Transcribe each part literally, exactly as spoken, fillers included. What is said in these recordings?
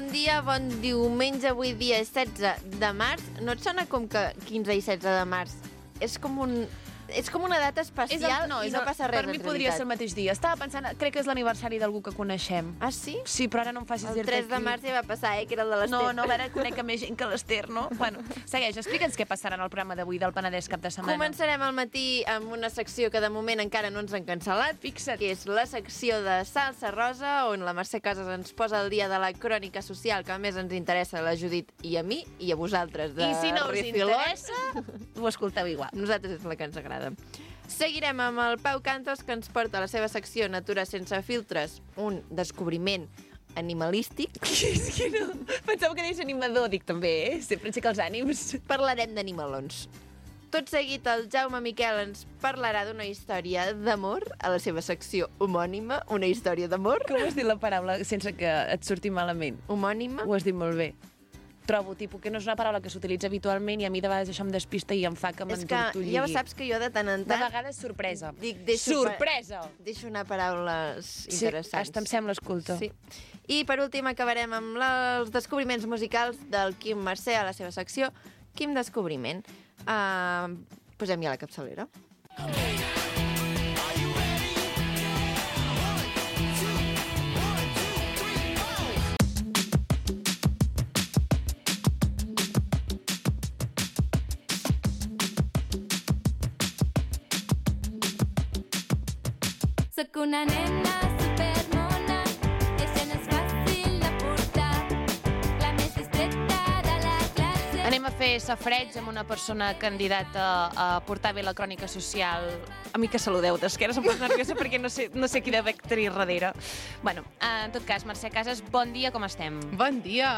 Bon dia, bon diumenge, avui dia és setze de març. No et sona com que quinze i setze de març? És com un... És com una data especial el, no, i no el, passa res, per mi podria ser el mateix dia. Estava pensant, crec que és l'aniversari d'algú que coneixem. Ah, sí? Sí, però ara no em facis dir-te El tres de març ja va passar, eh, que era el de l'Ester. No, no, ara conec més gent que l'Ester, no? Bueno, segueix, explica'ns què passarà en el programa d'avui del Penedès cap de setmana. Començarem al matí amb una secció que de moment encara no ens han cancel·lat. Fixa't. Que és la secció de Salsa Rosa, on la Mercè Casas ens posa el dia de la crònica social, que a més ens interessa a la Judit i a mi, i a vosaltres de I si no us Rifilot. interessa, ho escolteu igual. Nosaltres és la que ens agrada. Seguirem amb el Pau Cantos, que ens porta a la seva secció Natura sense filtres, un descobriment animalístic. És que no... Pensava que deies animador, dic també, eh? Sempre aixeca els ànims. Parlarem d'animalons. Tot seguit, el Jaume Miquel ens parlarà d'una història d'amor a la seva secció homònima, una història d'amor. Com has dit la paraula sense que et surti malament? Homònima. Ho has dit molt bé. Trobo, tipus, que no és una paraula que s'utilitza habitualment i a mi de vegades això em despista i em fa que m'entortolligui. És que ja saps que jo de tant en tant... De vegades sorpresa. Dic, deixo sorpresa! Pa... Deixo anar paraules interessants. Sí, hasta em sembla, escolta. Sí. I per últim acabarem amb la... els descobriments musicals del Quim Mercè a la seva secció. Quim Descobriment. Uh, posem ja la capçalera. Soc una nena supermona, i això no és fàcil de portar. La més distreta de la classe. Anem a fer safreig amb una persona candidata a portar bé la crònica social. A mi que saludeu d'esqueres, em poso nerviosa perquè no sé, no sé qui deu tenir darrere. Bueno, en tot cas, Mercè Casas, bon dia, com estem? Bon dia!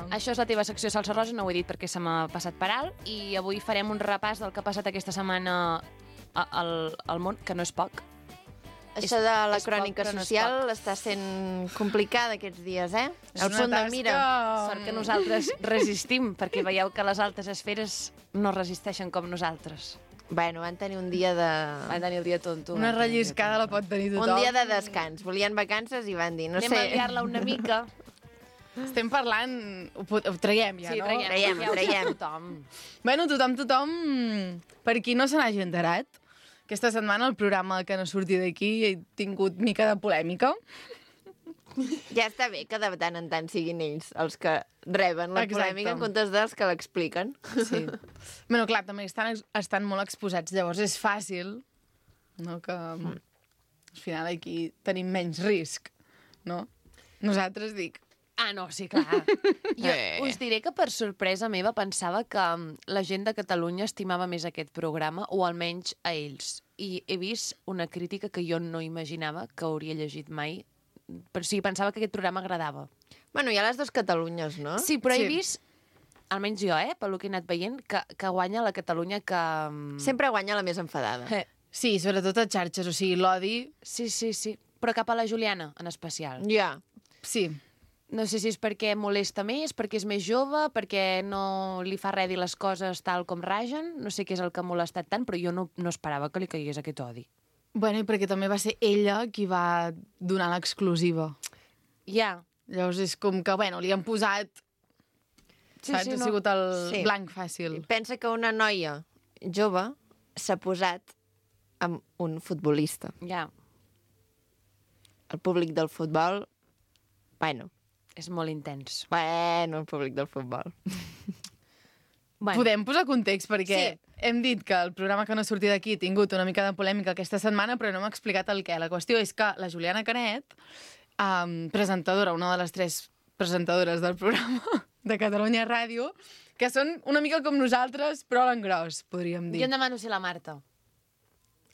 Això és la teva secció Salsa Rosa, no ho he dit perquè se m'ha passat per alt, i avui farem un repàs del que ha passat aquesta setmana al, al món, que no és poc. Això de la és crònica poc, no social està sent complicada aquests dies, eh? És El una punt de tasca- mira. Sort que nosaltres resistim, perquè veieu que les altes esferes no resisteixen com nosaltres. Bueno, van tenir un dia de... Van tenir el dia tonto. Una relliscada la pot tenir tothom. Un dia de descans. Volien vacances i van dir, no Anem sé... a liar-la una mica. Estem parlant... Ho, pot- ho traiem ja, Sí, no? traiem, Traiem, ja ho traiem. sap tothom. Bueno, tothom, tothom... Per qui no se n'hagi enterat, aquesta setmana el programa que no surti d'aquí ha tingut mica de polèmica. Ja està bé que de tant en tant siguin ells els que reben la Exacte. polèmica en comptes dels que l'expliquen. Sí. Bueno, clar, també estan, estan molt exposats. Llavors és fàcil, no?, que al final aquí tenim menys risc, no? Nosaltres dic... Ah, no, sí, clar. Jo Eh. us diré que per sorpresa meva pensava que mm, la gent de Catalunya estimava més aquest programa, o almenys a ells. I he vist una crítica que jo no imaginava que hauria llegit mai. Però sí, pensava que aquest programa agradava. Bueno, hi ha les dues Catalunyes, no? Sí, però Sí. he vist, almenys jo, eh, pel que he anat veient, que, que guanya la Catalunya que... mm, Sempre guanya la més enfadada. Eh, Sí, sobretot a xarxes, o sigui, l'odi... Sí, sí, sí. Però cap a la Juliana, en especial. Ja. Sí, No sé si és perquè molesta més, perquè és més jove, perquè no li fa res dir les coses tal com ragen, no sé què és el que ha molestat tant, però jo no, no esperava que li caigués aquest odi. bueno, i perquè també va ser ella qui va donar l'exclusiva. Ja, Llavors és com que, bueno, li han posat... Sí, saps? sí, Ha no. sigut el Sí. blanc fàcil. Pensa que una noia jove s'ha posat amb un futbolista. ja, El públic del futbol... Bueno, és molt intens. bueno, el públic del futbol. Bueno, Podem posar context, perquè Sí. hem dit que el programa que no sortia d'aquí ha tingut una mica de polèmica aquesta setmana, però no m'ha explicat el què. La qüestió és que la Juliana Canet, um, presentadora, una de les tres presentadores del programa de Catalunya Ràdio, que són una mica com nosaltres, però a l'engròs, podríem jo dir. em demano ser la Marta.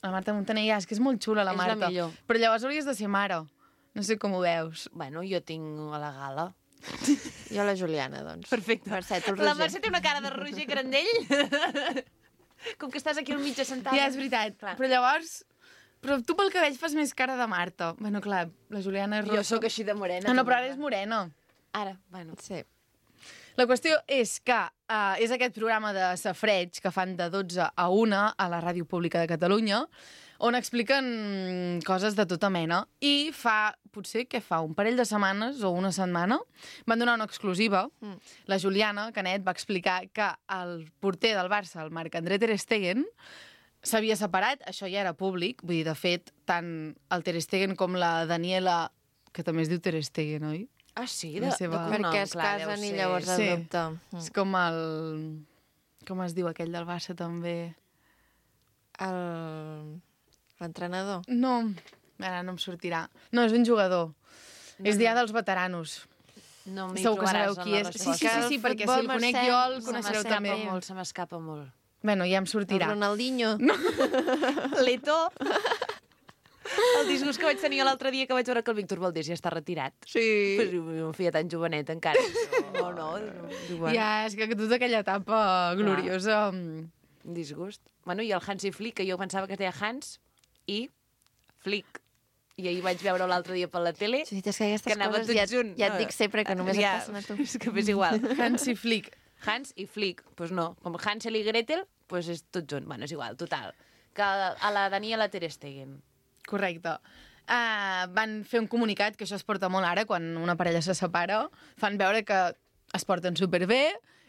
La Marta Montaner, és que és molt xula, la És la Marta. millor. Però llavors hauries de ser mare. No sé com ho veus. Bueno, jo tinc a la gala. Jo la Juliana, doncs. Perfecte. Mercè, tu el La Roger. Mercè té una cara de Roger Grandell. Com que estàs aquí al mig assentada. Ja, és veritat. Clar. Però llavors... Però tu pel que veig fas més cara de Marta. Bueno, clar, la Juliana és rossa. Jo sóc així de morena. No, no, també. però ara és morena. Ara, bueno. Sí. La qüestió és que uh, és aquest programa de safreig que fan de dotze a una a la Ràdio Pública de Catalunya, on expliquen coses de tota mena. I fa, potser, què fa, un parell de setmanes o una setmana, van donar una exclusiva. Mm. La Juliana Canet va explicar que el porter del Barça, el Marc-André Ter Stegen, s'havia separat, això ja era públic, vull dir, de fet, tant el Ter Stegen com la Daniela, que també es diu Ter Stegen, oi? Ah, sí? La De, seva- de cognom, Perquè es clar, casen deu i ser- llavors Sí. adopta. Mm. És com el... Com es diu aquell del Barça, també? El... L'entrenador. No, ara no em sortirà. No, és un jugador. No, és dia no. dels veteranos. No m'hi Segur que trobaràs sabeu en qui la és. Sí, resposta. sí, sí, sí, El perquè si futbol, el conec Mercè, jo, el se coneixereu Se també. m'escapa molt, se m'escapa molt. Bueno, ja em El sortirà. Ronaldinho. L'Eto... El disgust que vaig tenir l'altre dia que vaig veure que el Víctor Valdés ja està retirat. Sí. Pues, un feia tan jovenet encara. No, no, no. Ja, és que tota aquella etapa gloriosa... Un disgust. Bueno, i el Hans i Flick, que jo pensava que es deia Hans i Flick. I ahir vaig veure l'altre dia per la tele Sí, és que aquestes que anava coses tot ja, junt. ja et dic sempre que només ja, et passen a tu. És que és igual. Hans i Flick. Hans i Flick, doncs pues no. Com Hansel i Gretel, doncs pues és tot junt. Bueno, és igual, total. Que a la Daniela Ter Stegen. Correcte. Uh, van fer un comunicat, que això es porta molt ara, quan una parella se separa, fan veure que es porten superbé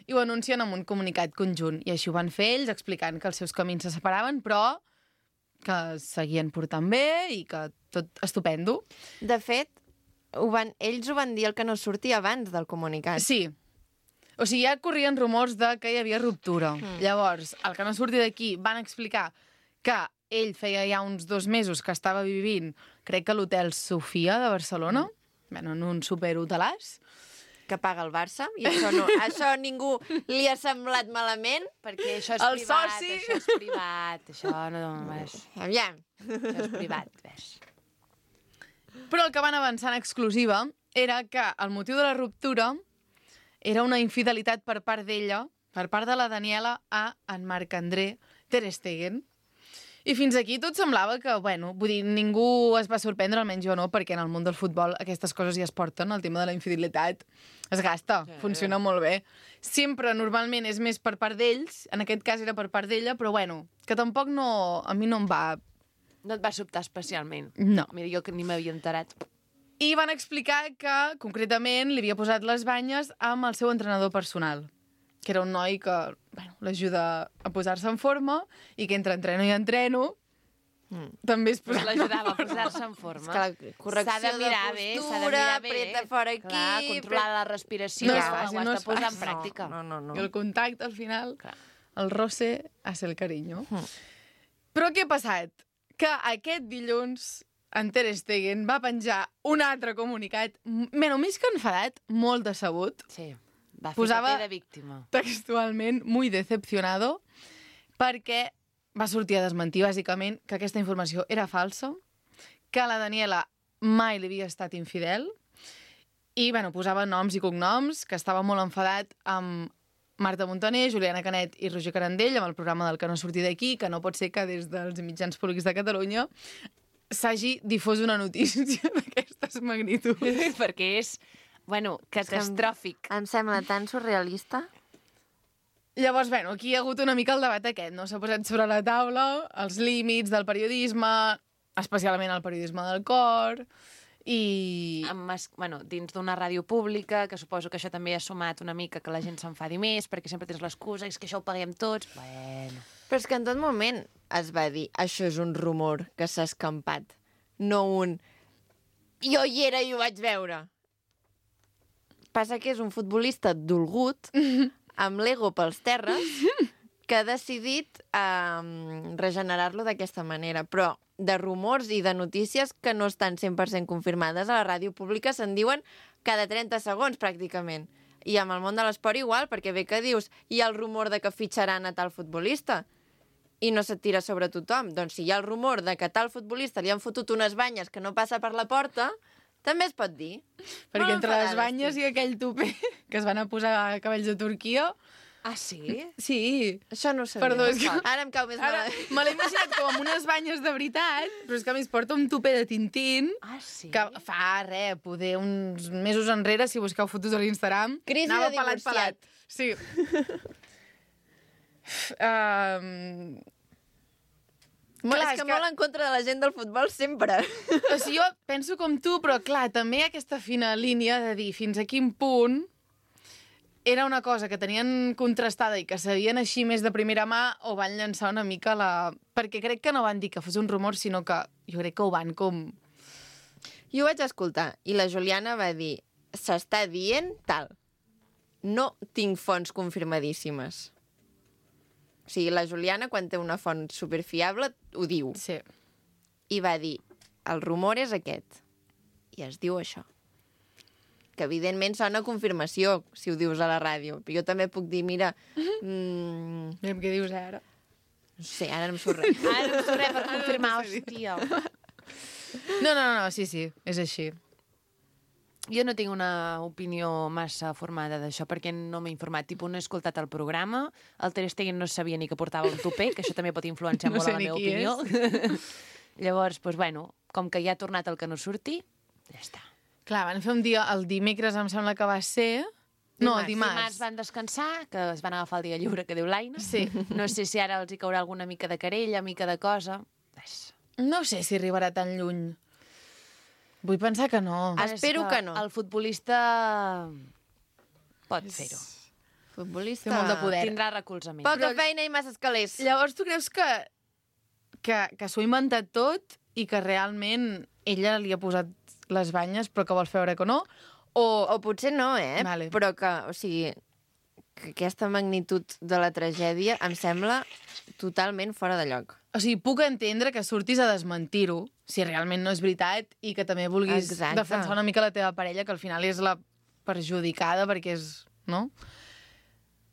i ho anuncien amb un comunicat conjunt. I així ho van fer ells, explicant que els seus camins se separaven, però que es seguien portant bé i que tot estupendo. De fet, ho van, ells ho van dir el que no sortia abans del comunicat. Sí. O sigui, ja corrien rumors de que hi havia ruptura. Mm. Llavors, el que no surti d'aquí, van explicar que ell feia ja uns dos mesos que estava vivint, crec que a l'hotel Sofia de Barcelona, mm. bueno, en un superhotelàs, Que paga el Barça, i això, no, això a ningú li ha semblat malament. Perquè això és El privat, soci. això és privat, això no... Ves. Aviam. Això és privat, ves. però el que van avançar en exclusiva era que el motiu de la ruptura era una infidelitat per part d'ella, per part de la Daniela, a en Marc-André Ter Stegen. I fins aquí tot semblava que, bueno, vull dir, ningú es va sorprendre, almenys jo no, perquè en el món del futbol aquestes coses ja es porten, el tema de la infidelitat es gasta, Sí. funciona molt bé. Sempre, normalment, és més per part d'ells, en aquest cas era per part d'ella, però bueno, que tampoc no, a mi no em va... No et va sobtar especialment. No. Mira, jo que ni m'havia enterat. I van explicar que, concretament, li havia posat les banyes amb el seu entrenador personal, que era un noi que, bueno, l'ajuda a posar-se en forma i que entre entreno i entreno mm. també es Pues posa l'ajudava a posar-se en forma. És que la correcció S'ha de mirar de bé, postura, s'ha de mirar bé. apreta fora aquí... Clar, controlar la respiració, No no és ho fàcil, has no de és posar en fàcil. pràctica. No, no, no. I el contacte, al final, Clar. el roce hace el cariño. Mm. Però què ha passat? Que aquest dilluns en Ter Stegen va penjar un altre comunicat, bueno, més que enfadat, molt decebut, Sí, va fer Posava- paper de víctima. textualment, muy decepcionado, perquè va sortir a desmentir, bàsicament, que aquesta informació era falsa, que la Daniela mai li havia estat infidel, i, bueno, posava noms i cognoms, que estava molt enfadat amb Marta Montaner, Juliana Canet i Roger Carandell, amb el programa del que no sortir d'aquí, que no pot ser que des dels mitjans públics de Catalunya s'hagi difós una notícia d'aquestes magnituds. Perquè és, bueno, catastròfic. Em sembla tan surrealista. Llavors, bueno, aquí hi ha hagut una mica el debat aquest, no? S'ha posat sobre la taula els límits del periodisme, especialment el periodisme del cor, i... Amb, mas- bueno, dins d'una ràdio pública, que suposo que això també ha sumat una mica que la gent s'enfadi més, perquè sempre tens l'excusa, és que això ho paguem tots. Bueno... Però és que en tot moment es va dir això és un rumor que s'ha escampat, no un jo hi era i ho vaig veure. Passa que és un futbolista dolgut, amb l'ego pels terres, que ha decidit um, regenerar-lo d'aquesta manera. Però de rumors i de notícies que no estan cent per cent confirmades a la ràdio pública se'n diuen cada trenta segons, pràcticament. I amb el món de l'esport igual, perquè bé que dius hi ha el rumor de que fitxaran a tal futbolista i no se't tira sobre tothom. Doncs si hi ha el rumor de que a tal futbolista li han fotut unes banyes que no passa per la porta, també es pot dir. Perquè Molt entre les enfadada banyes estic. i aquell tupé que es van a posar a cabells de Turquia... Ah, sí? Sí. Això no ho sabia. Perdó, és que... Ara em cau més Ara malament. me l'he imaginat com amb unes banyes de veritat, però és que a mi es porta un tupé de Tintín Ah, sí? que fa, res, poder uns mesos enrere, si busqueu fotos a l'Instagram, Crisi anava de pelat, divorciat. pelat. Sí. um... Molt, Clar, és que, que molt en contra de la gent del futbol sempre. O sigui, jo penso com tu, però clar, també hi ha aquesta fina línia de dir fins a quin punt era una cosa que tenien contrastada i que sabien així més de primera mà o van llançar una mica la... Perquè crec que no van dir que fos un rumor, sinó que jo crec que ho van com... Jo ho vaig escoltar i la Juliana va dir s'està dient tal. No tinc fonts confirmadíssimes. O sigui, la Juliana, quan té una font superfiable, ho diu. Sí. I va dir, el rumor és aquest. I es diu això. Que evidentment sona confirmació, si ho dius a la ràdio. Però jo també puc dir, mira... Mm, Mira'm què dius ara. no sé, ara no em surt res. Ara no sé res per confirmar, hòstia. No, no, no, sí, sí, és així. Jo no tinc una opinió massa formada d'això, perquè no m'he informat. Tipus, no he escoltat el programa, el Ter Stegen no sabia ni que portava un tupé, que això també pot influenciar No molt sé en la ni meva qui opinió. Llavors, doncs, bueno, com que ja ha tornat el que no surti, ja està. Clar, van fer un dia, el dimecres em sembla que va ser... No, el dimarts. Dimarts van descansar, que es van agafar el dia lliure, que diu l'Aina. Sí. No sé si ara els hi caurà alguna mica de querella, mica de cosa. Ves. No sé si arribarà tan lluny. Vull pensar que no. Ah, Espero És que no. El futbolista pot fer-ho. Futbolista... Té molt de poder. Tindrà recolzament. Poca feina i massa escalers. Llavors tu creus que, que, que s'ho ha inventat tot i que realment ella li ha posat les banyes però que vol veure que no? O... O potser no, eh? Vale. Però que, o sigui, que aquesta magnitud de la tragèdia em sembla totalment fora de lloc. O sigui, puc entendre que surtis a desmentir-ho, si realment no és veritat, i que també vulguis Exacte. defensar una mica la teva parella, que al final és la perjudicada, perquè és... no?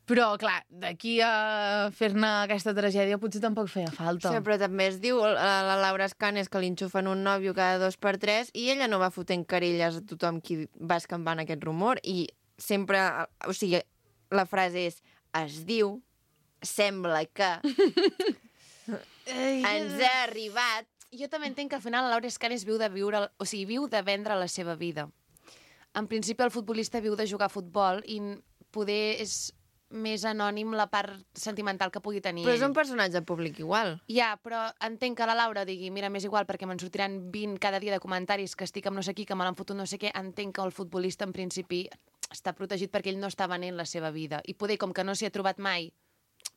Però, clar, d'aquí a fer-ne aquesta tragèdia potser tampoc feia falta. Sí, però també es diu a la Laura Escanes que li enxufen un nòvio cada dos per tres i ella no va fotent querelles a tothom qui va escampant aquest rumor i sempre... O sigui, la frase és es diu, sembla que... ens ha arribat. Jo també entenc que al final la Laura Escanes viu de viure, o sigui, viu de vendre la seva vida. En principi el futbolista viu de jugar a futbol i poder és més anònim la part sentimental que pugui tenir Però és ell. un personatge públic igual. Ja, però entenc que la Laura digui mira, m'és igual perquè me'n sortiran vint cada dia de comentaris que estic amb no sé qui, que me l'han fotut no sé què. Entenc que el futbolista en principi està protegit perquè ell no està venent la seva vida. I poder, com que no s'hi ha trobat mai,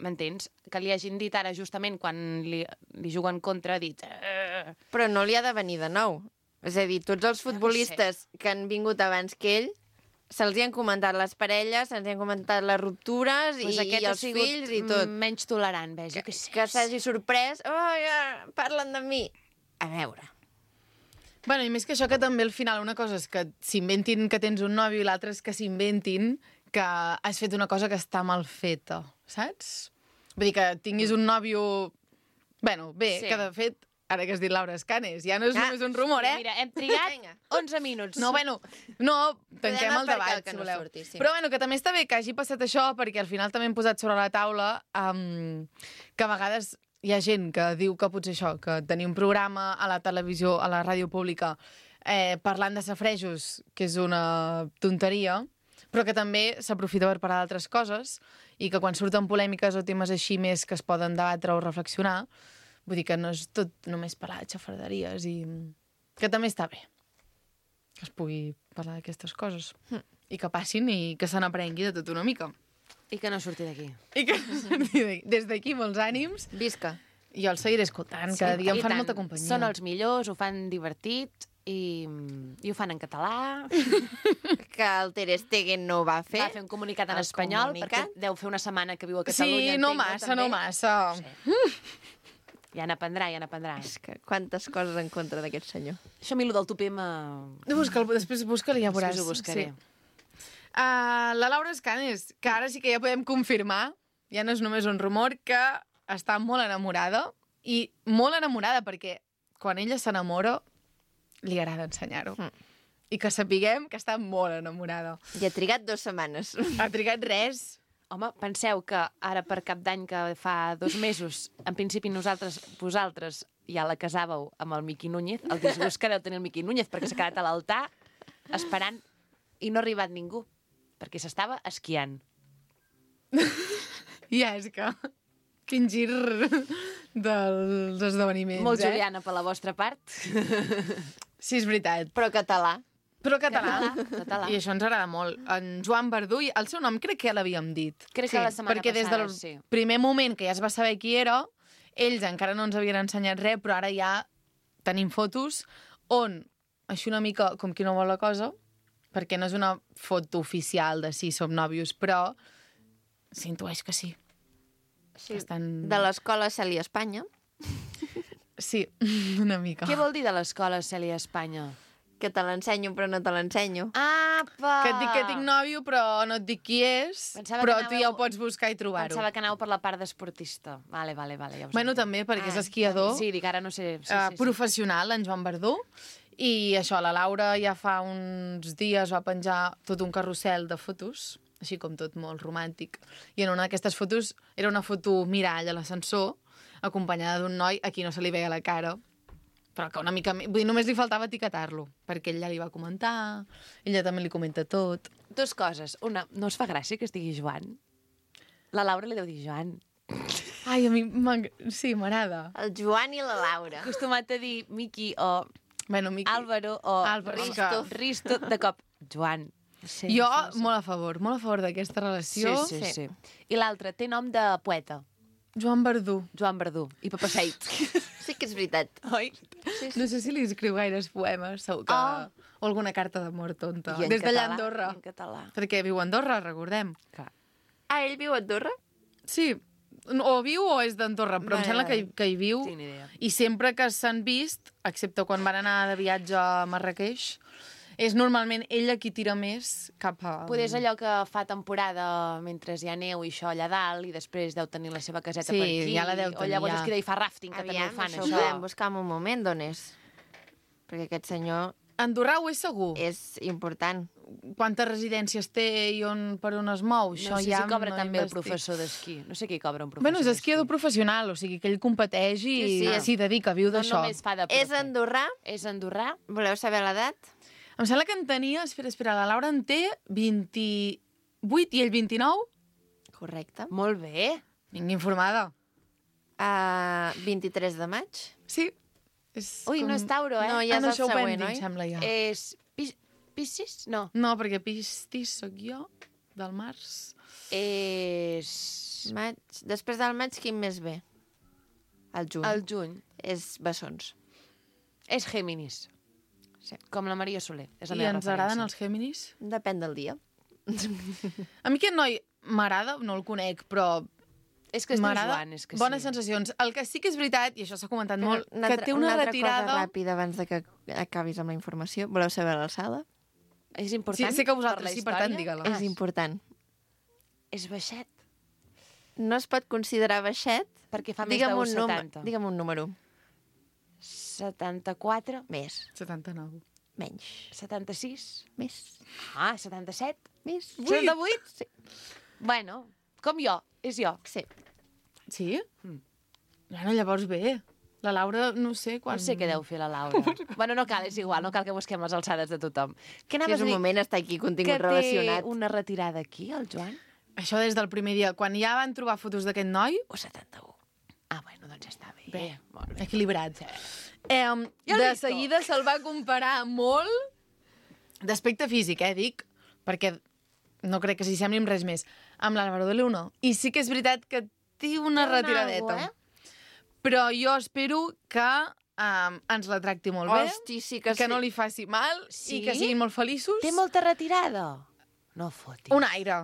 m'entens? Que li hagin dit ara justament quan li, li juguen contra, ha dit... "Eh". Però no li ha de venir de nou. És a dir, tots els futbolistes que han vingut abans que ell se'ls hi han comentat les parelles, se'ls hi han comentat les ruptures Pues i, aquest i ha els sigut fills i tot. menys tolerant, ves, jo Que, què sé. que s'hagi sorprès. Oh, ja, parlen de mi. A veure. Bueno, i més que això, que també al final una cosa és que s'inventin que tens un nòvio i l'altra és que s'inventin que has fet una cosa que està mal feta, saps? Vull dir que tinguis un nòvio... Bueno, bé, Sí. sí. que de fet, ara que has dit Laura Escanes, ja no és Ah, només un rumor, eh? Mira, hem trigat Vinga. onze minuts. No, bueno, no, tanquem Podem el aparcar debat, el que si no voleu. surti, sí. Però bueno, que també està bé que hagi passat això, perquè al final també hem posat sobre la taula um, que a vegades hi ha gent que diu que potser això, que tenir un programa a la televisió, a la ràdio pública, eh, parlant de safrejos, que és una tonteria, però que també s'aprofita per parlar d'altres coses i que quan surten polèmiques o temes així més que es poden debatre o reflexionar, vull dir que no és tot només parlar de xafarderies i que també està bé que es pugui parlar d'aquestes coses mm. i que passin i que se n'aprengui de tot una mica. I que no surti d'aquí. I que des d'aquí molts ànims. Visca. Jo els seguiré escoltant, cada dia em I fan tant. molta companyia. Són els millors, ho fan divertit i, i ho fan en català. Que el Ter Stegen no ho va fer. Va fer un comunicat en El espanyol, comunicat. perquè deu fer una setmana que viu a Catalunya. Sí, no entenc, massa, també? no massa. Ja n'aprendrà, ja n'aprendrà. És que quantes coses en contra d'aquest senyor. Això a mi, el del tupé, m'ha... Busca'l, després busca-li, ja veuràs. Després ho buscaré. Sí. Uh, la Laura Escanes, que ara sí que ja podem confirmar, ja no és només un rumor, que està molt enamorada, i molt enamorada perquè quan ella s'enamora li agrada ensenyar-ho. Mm. I que sapiguem que està molt enamorada. I ha trigat dues setmanes. Ha trigat res. Home, penseu que ara per Cap d'Any, que fa dos mesos, en principi nosaltres, vosaltres, ja la casàveu amb el Miqui Núñez, el disgust que deu tenir el Miqui Núñez, perquè s'ha quedat a l'altar esperant i no ha arribat ningú, perquè s'estava esquiant. Ja, és que... Quin gir dels esdeveniments, Molt eh? Juliana per la vostra part. Sí, és veritat. Però català. Però català. Català, català. I això ens agrada molt. En Joan Verdú, i el seu nom crec que ja l'havíem dit. Crec que la setmana perquè des passada, del sí. primer moment que ja es va saber qui era, ells encara no ens havien ensenyat res, però ara ja tenim fotos on, així una mica com qui no vol la cosa, perquè no és una foto oficial de sí, som nòvios, però s'intueix que sí. Sí. Estan... De l'escola Cèlia Espanya, Sí, una mica. Què vol dir de l'escola Cèlia Espanya? que te l'ensenyo però no te l'ensenyo. Apa! Que et dic que tinc nòvio, però no et dic qui és, Pensava però que tu anàveu- ja ho pots buscar i trobar-ho. Pensava que anàveu per la part d'esportista. Vale, vale, vale. Ja us Bueno, entenc. també, perquè és Ah, esquiador. Sí, dic, ara no sé... Sí, uh, sí, sí. professional, en Joan Verdú, i això, la Laura ja fa uns dies va penjar tot un carrusel de fotos, així com tot molt romàntic, i en una d'aquestes fotos era una foto mirall a l'ascensor, acompanyada d'un noi a qui no se li veia la cara, però que una mica... Vull dir, només li faltava etiquetar-lo, perquè ell ja li va comentar, ella també li comenta tot. Dos coses. Una, no us fa gràcia que es digui Joan? La Laura li deu dir Joan. Ai, a mi m'ag- sí, m'agrada. El Joan i la Laura. Acostumat a dir Miqui o Bueno, Miqui... Álvaro o Álvaro, Risto. que- Risto, de cop, Joan. Sí, Jo, sí, sí. molt a favor, molt a favor d'aquesta relació. Sí, sí, sí. I l'altre té nom de poeta. Joan Verdú. Joan Verdú. I Papaseit. Sí que és veritat. Oi? No sé si li escriu gaires poemes, segur que... Ah. O alguna carta d'amor tonta. I en Des d'allà a català, Andorra. i en català. Perquè viu a Andorra, recordem. Clar. Ah, ell viu a Andorra? Sí, o viu o és d'Andorra, però Vale, em sembla que, vale. hi- que hi viu. Tinc ni idea. I sempre que s'han vist, excepte quan van anar de viatge a Marrakeix, és normalment ella qui tira més cap a... Poder és allò que fa temporada mentre hi ha neu i això allà dalt i després deu tenir la seva caseta Sí, per aquí. ja la deu o tenir, llavors ja. es queda i fa rafting, que Aviam, també ho fan, això això. ho podem buscar en un moment d'on és. Perquè aquest senyor Andorra ho és segur. és important. Quantes residències té i on, per on es mou? No Això sé ja si cobra no també el investic. professor d'esquí. No sé qui cobra un professor Bueno, és d'esquí. esquiador professional, o sigui que ell competeix i Sí, sí. s'hi dedica, viu No d'això. només fa de És profe. andorrà? És andorrà? Voleu saber l'edat? Em sembla que en tenia... Espera, espera, la Laura en té vint-i-vuit i ell vint-i-nou? Correcte. Molt bé. Vinc informada. Uh, vint-i-tres de maig? Sí. És Ui, no és Tauro, eh? No, ja ah, és no, el això ho vam següent, dir, oi? em sembla, ja. És Pis... Piscis? No. No, perquè Pistis sóc jo, del març. És... Maig. Després del maig, quin mes ve? El juny. El juny. És bessons. És Géminis. Sí. Com la Maria Soler. És la I meva ens agraden referència. els Géminis? Depèn del dia. A mi aquest noi m'agrada, no el conec, però És que es diu m'agrada. Joan, és que Bones sí. sensacions. El que sí que és veritat, i això s'ha comentat molt, Una que altra- té una, altra retirada... cosa ràpida abans de que acabis amb la informació. Voleu saber l'alçada? És Sí, important sé que per vosaltres la sí, per història? tant, digue-la. És important. És baixet, No es pot considerar baixet? perquè fa més Digue'm d'un un, num setanta. digue'm un número. setanta-quatre, Més. setanta-nou. Menys. setanta-sis, Més. ah, setanta-set, Més. setanta-vuit. Sí. Bueno, com jo, és jo. Sí. Sí? Mm. Bueno, llavors bé. La Laura, no sé quan... No sé què deu fer la Laura. bueno, no cal, és igual, no cal que busquem les alçades de tothom. Què Si anaves és un a dir? moment, està aquí Que contingut té relacionat. una retirada aquí, el Joan? Això des del primer dia. Quan ja van trobar fotos d'aquest noi, O setanta-un? Ah, bueno, doncs ja està bé. Bé. Molt bé. equilibrat. Eh, Ja de listo. seguida se'l va comparar molt d'aspecte físic, eh, dic, perquè no crec que s'hi sembli amb res més, amb l'Álvaro de Luna. I sí que és veritat que té una Té un retiradeta. algo, eh? Però jo espero que um, ens la tracti molt bé, Hosti, sí que, que sí. no li faci mal Sí? i que siguin molt feliços. Té molta retirada? No fotis. Un aire.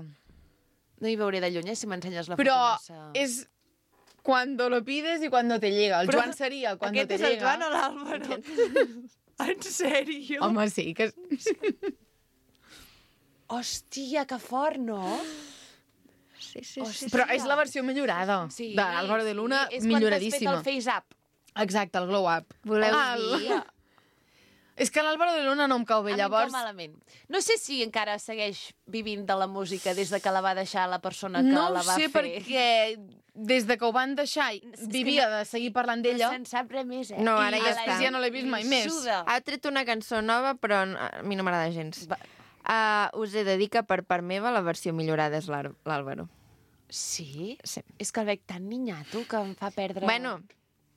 No hi veuré de lluny, eh, si m'ensenyes la Però foto massa... és cuando lo pides i cuando te llega. El Però Joan seria cuando Aquest te és el llega. Joan o l'Àlvaro? En sèrio? Home, sí, que... Hòstia, que fort, no? Sí, sí, Hosti. sí. Però és la versió millorada Sí, de l'Álvaro de Luna, sí. milloradíssima. És quan t'has fet el face-up. Exacte, el glow-up. Voleu Ah, dir... el- És que l'Álvaro de Luna no em cau bé, A mi em llavors... cau malament. No sé si encara segueix vivint de la música des de que la va deixar la persona que No la ho va sé, fer. perquè des de que ho van deixar És que vivia no- de seguir parlant d'ella. No se'n sap res més, eh? No, ara I ja a està. la gent Ja no l'he vist mai li més. suda. Ha tret una cançó nova, però a mi no m'agrada gens. Va- Uh, us he de dir que per part meva la versió millorada és l'Àr- l'Àlvaro. Sí? Sí. És que el veig tan niñato que em fa perdre... Bueno,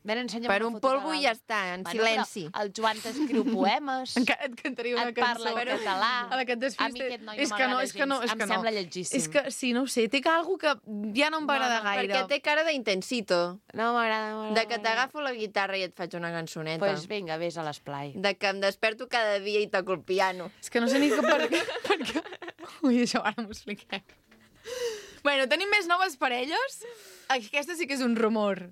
Ven, ensenya'm per una un foto de polvo i l'Alba. ja està, en Bueno, silenci. però el Joan t'escriu poemes, Encara et cantaria una et cançó. parla en català. A la que et desfis... A mi aquest noi no és que no, m'agrada és que no, gens. és Em que no. sembla lletgíssim. És que, sí, no ho sé, té algo que ja no em va No, agradar no, gaire. Perquè té cara d'intensito. No m'agrada, no m'agrada. De que t'agafo la guitarra i et faig una cançoneta. Doncs pues vinga, vés a l'esplai. De que em desperto cada dia i toco el piano. És que no sé ni que per, per què... Ui, això ara m'ho expliquem. Bueno, tenim més noves parelles. Aquesta sí que és un rumor.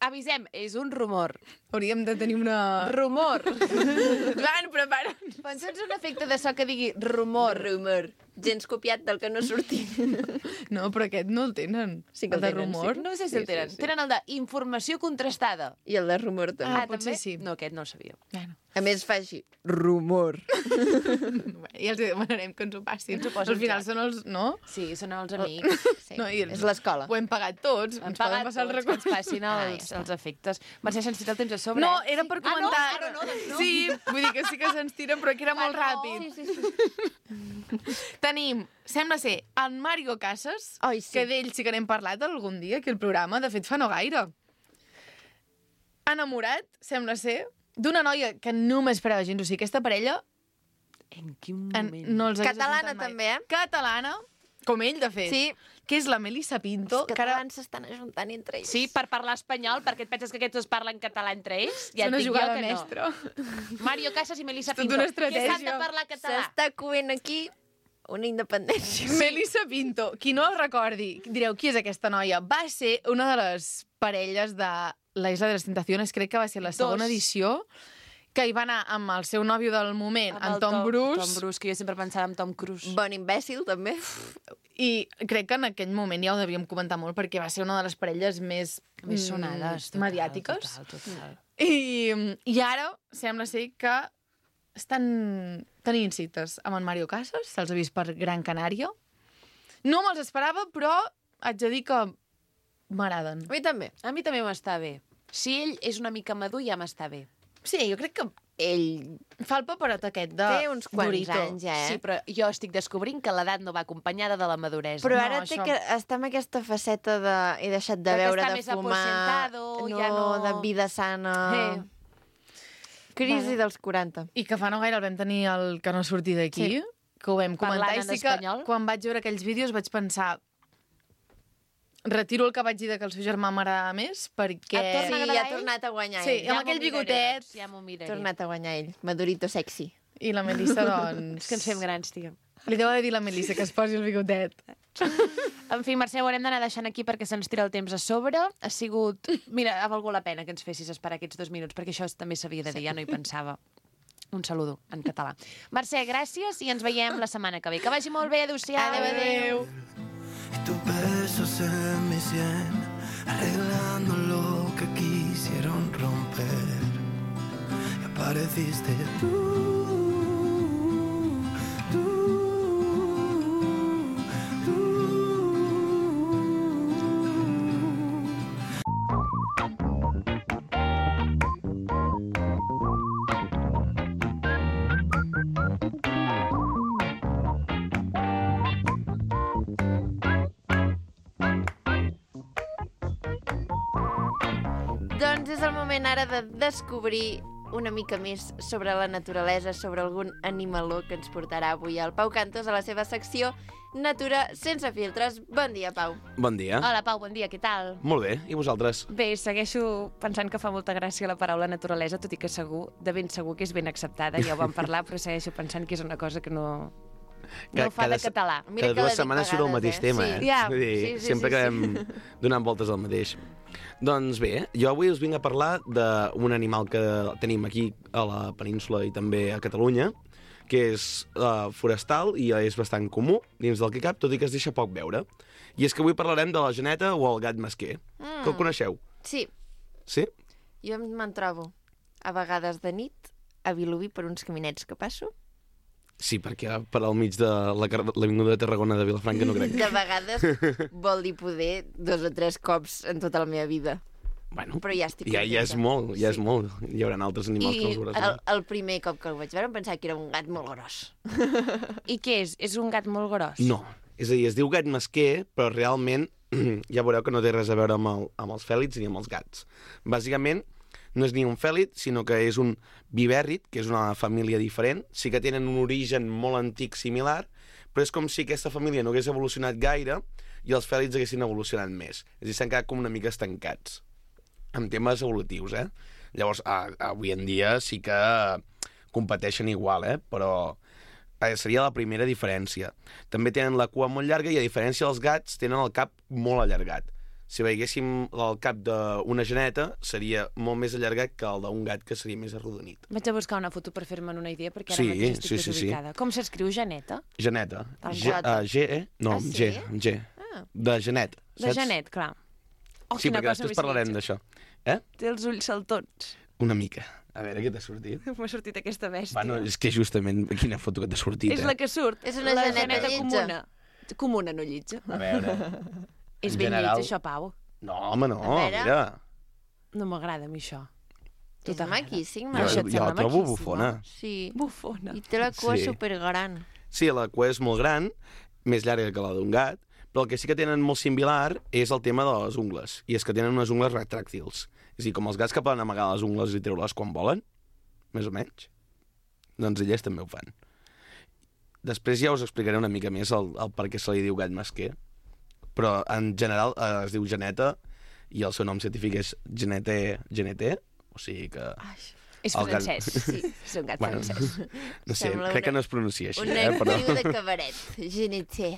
Avisem, és un rumor. Hauríem de tenir una... Rumor. Joan, prepara't. Pensa'ns un efecte de so que digui rumor. Rumor. Gens copiat del que no ha sortit. No, però aquest no el tenen. Sí que el de tenen, rumor. sí. No sé si el tenen. Tenen el de informació contrastada. I el de rumor també. Ah, potser sí. No, aquest no el sabia. Bueno, A més fa així. Rumor. ja els demanarem que ens ho passin. Ens ho posen Al final ja. són els... No? Sí, són els amics. Sí. No, i els- És l'escola. Ho hem pagat tots. Han ens poden pagat passar els tots, que ens recursos. passin Ah, ja els, està. els efectes. Mercè, se'ns tira el temps a sobre, No, eh? era per Ah, no? comentar... Ah, no, doncs no. Sí, vull dir que sí que se'ns tira, però que era molt Ah, no. ràpid. Sí, sí, sí. Tenim, sembla ser, en Mario Casas, Ai, sí. que d'ell sí que n'hem parlat algun dia, aquí al programa, de fet fa no gaire. Enamorat, sembla ser, d'una noia que no m'esperava gens. O sigui, aquesta parella En quin en, moment? no els hagués Catalana, escoltat mai. també, eh? Catalana, com ell, de fet. Sí. Que és la Melissa Pinto. Els que ara catalans s'estan ajuntant entre ells. Sí, per parlar espanyol, perquè et penses que aquests dos parlen català entre ells? Ja és una et dic jo jugada que mestra. no. Mario Casas i Melissa És tota Pinto. una Que estratègia. s'han de parlar català. S'està coent aquí una independència. Melissa Pinto, qui no el recordi, direu, qui és aquesta noia? Va ser una de les parelles de La Isla de les Tentaciones, crec que va ser la segona Dos. edició, que hi va anar amb el seu nòvio del moment, Amb en el Tom, Bruce, Tom Bruce, que jo sempre pensava en Tom Cruise. Bon imbècil, també. i crec que en aquell moment ja ho devíem comentar molt, perquè va ser una de les parelles més, Més mm, sonades. Total, mediàtiques. Total, total. I, I ara sembla ser que estan tenint cites amb en Mario Casas, se'ls ha vist per Gran Canària. No me'ls esperava, però haig de dir que m'agraden. A mi també. A mi també m'està bé. Si ell és una mica madur, ja m'està bé. Sí, jo crec que Ell fa el paperot aquest de té uns quants Dorito. anys, ja, eh? Sí, però jo estic descobrint que l'edat no va acompanyada de la maduresa. Però No, ara té això. que està amb aquesta faceta de... He deixat de De que veure, està de més fumar... aposentado, no, ja no- de vida sana... Eh. Crisi Bueno. dels quaranta. I que fa no gaire el vam tenir el que no sortir d'aquí, Sí. que ho vam comentar. Parlant I en sí que espanyol. quan vaig veure aquells vídeos vaig pensar... Retiro el que vaig dir de que el seu germà m'agradava més, perquè... Et torna Sí, a agradar ja ha ell? tornat a guanyar Sí, ell. amb m'ho aquell miraré, bigotet. doncs, ja m'ho Ha miraré. tornat a guanyar ell. Madurito sexy. I la Melissa, doncs... És que ens fem grans, tia. Li deu haver dit la Melissa que es posi el bigotet. En fi, Mercè, ho haurem d'anar deixant aquí perquè se'ns tira el temps a sobre. Ha sigut... Mira, ha valgut la pena que ens fessis esperar aquests dos minuts, perquè això també s'havia de dir, ja no hi pensava. Un saludo en català. Mercè, gràcies i ens veiem la setmana que ve. Que vagi molt bé, adéu-siau. Adéu, adéu. Y tus besos en mi sien, arreglando lo que quisieron romper. Y apareciste tú, tú, tú. Doncs és el moment ara de descobrir una mica més sobre la naturalesa, sobre algun animaló que ens portarà avui el Pau Cantos a la seva secció Natura sense filtres. Bon dia, Pau. Bon dia. Hola, Pau, bon dia, què tal? Molt bé, i vosaltres? Bé, segueixo pensant que fa molta gràcia la paraula naturalesa, tot i que segur, de ben segur que és ben acceptada, ja ho vam parlar, però segueixo pensant que és una cosa que no, no fa de se- català. Mira Cada que la dues dic setmanes surt el vegades, mateix eh? tema, Sí. eh? Ja, Vull dir, sí, sí, sempre sí, acabem donant voltes al mateix. Doncs bé, jo avui us vinc a parlar d'un animal que tenim aquí a la península i també a Catalunya, que és uh, forestal i és bastant comú dins del que cap, tot i que es deixa poc veure. I és que avui parlarem de la geneta o el gat mesquer, mm. que el coneixeu, Sí, sí? jo me'n trobo a vegades de nit a Vilobí per uns caminets que passo. Sí, perquè per al mig de la car- l'avinguda de Tarragona de Vilafranca no crec. De vegades vol dir poder dos o tres cops en tota la meva vida. Bueno, Però ja estic ja, ja és contenta. molt, ja és Sí. molt. Hi haurà altres animals que I els veuràs. el, el primer cop que el vaig veure em pensava que era un gat molt gros. I què és? És un gat molt gros? No, és a dir, es diu gat mesquer, però realment ja veureu que no té res a veure amb, el, amb els fèlids ni amb els gats. Bàsicament, no és ni un fèlid, sinó que és un vivèrrid, que és una família diferent. Sí que tenen un origen molt antic similar, però és com si aquesta família no hagués evolucionat gaire i els fèlids haguessin evolucionat més. És a dir, s'han quedat com una mica estancats amb temes evolutius, eh? Llavors, a, avui en dia sí que competeixen igual, eh? Però eh, seria la primera diferència. També tenen la cua molt llarga i, a diferència dels gats, tenen el cap molt allargat. Si veiéssim el cap d'una geneta, seria molt més allargat que el d'un gat, que seria més arrodonit. Vaig a buscar una foto per fer-me'n una idea, perquè ara Sí, mateix estic sí, sí, sí. desubicada. Com s'escriu, Janeta? Geneta. El G, gat. uh, G, E? No, Ah, sí? G, G. Ah. De genet. De Janet, clar. Oh, Sí, quina perquè cosa després més parlarem lletja. d'això. Eh? Té els ulls saltons. Una mica. A veure, què t'ha sortit? M'ha sortit aquesta bèstia. Bueno, és que justament quina foto que t'ha sortit, És eh? la que surt. És una la geneta lletja. comuna. Comuna, no lletja. A veure... És en ben general- lleig, això, Pau. No, home, no, A veure. mira. No m'agrada a mi això. Tu És t'agrada? maquíssim, Jo, Això et jo sembla la trobo maquíssima? bufona. Sí. Bufona. I té la cua Sí. supergran. Sí, la cua és molt gran, més llarga que la d'un gat, però el que sí que tenen molt similar és el tema de les ungles. I és que tenen unes ungles retràctils. És a dir, com els gats que poden amagar les ungles i treure-les quan volen, més o menys, doncs elles també ho fan. Després ja us explicaré una mica més el, el per què se li diu gat mesquer, però en general eh, es diu geneta i el seu nom científic és genete, genete, o sigui que... Ai, És El gat- francès. Sí, és un gat Bueno, francès. no sé, Sembla crec que una- no es pronuncia així, un eh? Però... actriu de cabaret. Genetier.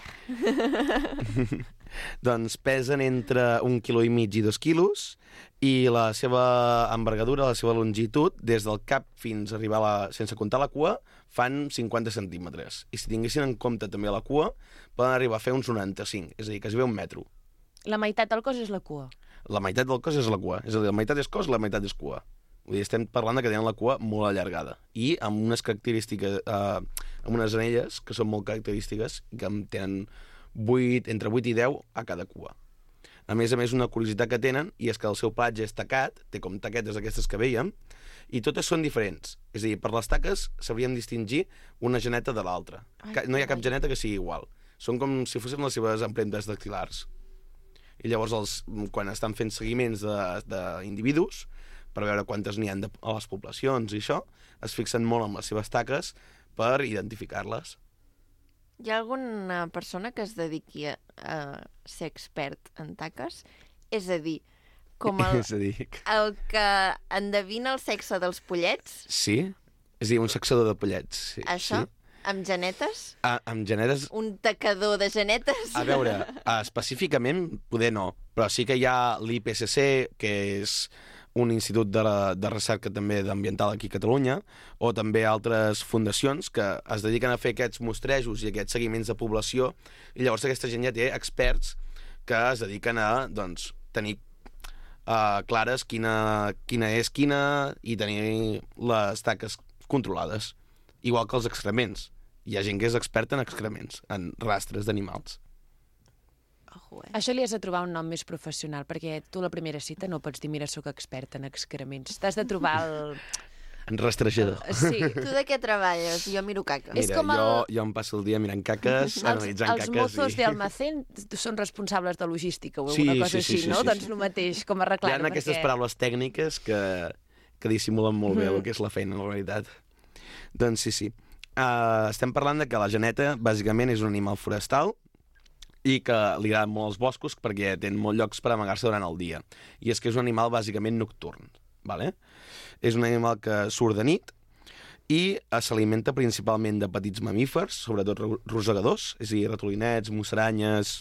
Doncs pesen entre un quilo i mig i dos quilos i la seva envergadura, la seva longitud, des del cap fins a arribar a la... sense comptar la cua, fan cinquanta centímetres. I si tinguessin en compte també la cua, poden arribar a fer uns noranta-cinc, és a dir, quasi bé un metro. La meitat del cos és la cua. La meitat del cos és la cua. És a dir, la meitat és cos, la meitat és cua. Vull dir, estem parlant de que tenen la cua molt allargada i amb unes característiques, eh, amb unes anelles que són molt característiques i que en tenen vuit, entre vuit i deu a cada cua. A més a més, una curiositat que tenen i és que el seu pelatge és tacat, té com taquetes d'aquestes que veiem, i totes són diferents. És a dir, per les taques sabríem distingir una geneta de l'altra. Ai, Ca- No hi ha cap carai. geneta que sigui igual. Són com si fossin les seves empremtes dactilars. I llavors, els, quan estan fent seguiments de- d'individus, per veure quantes n'hi ha de, a les poblacions i això, es fixen molt en les seves taques per identificar-les. Hi ha alguna persona que es dediqui a, a ser expert en taques? És a dir, com el, És a dir, el que endevina el sexe dels pollets, sí? És a dir, un saxador de pollets. Sí, això, Sí. amb genetes? Ah, amb genetes... Un tacador de genetes? A veure, uh, específicament, poder no, però sí que hi ha l'I P C C, que és un institut de, la, de recerca també d'ambiental aquí a Catalunya, o també altres fundacions que es dediquen a fer aquests mostrejos i aquests seguiments de població, i llavors aquesta gent ja té experts que es dediquen a doncs, tenir uh, clares quina, quina és quina i tenir les taques controlades. Igual que els excrements. Hi ha gent que és experta en excrements, en rastres d'animals. Ojo, eh? Això li has de trobar un nom més professional, perquè tu a la primera cita no pots dir mira, sóc expert en excrements. T'has de trobar el... En rastrejador. Sí. Tu de què treballes? Jo miro caca. És Mira, com el- jo, jo em passo el dia mirant caques, Els, analitzant els caques... mozos i... de almacén són responsables de logística o Sí, alguna cosa sí, sí, així, sí, no? sí, Doncs sí. el mateix, com a Hi reclam. ha aquestes paraules tècniques que, que dissimulen molt bé el que és la feina, en la realitat. Doncs sí, sí. Uh, estem parlant de que la geneta, bàsicament, és un animal forestal i que li agraden molt els boscos perquè tenen molts llocs per amagar-se durant el dia. I és que és un animal bàsicament nocturn. Vale? És un animal que surt de nit i s'alimenta principalment de petits mamífers, sobretot ro- rosegadors, és a dir, ratolinets, musaranyes...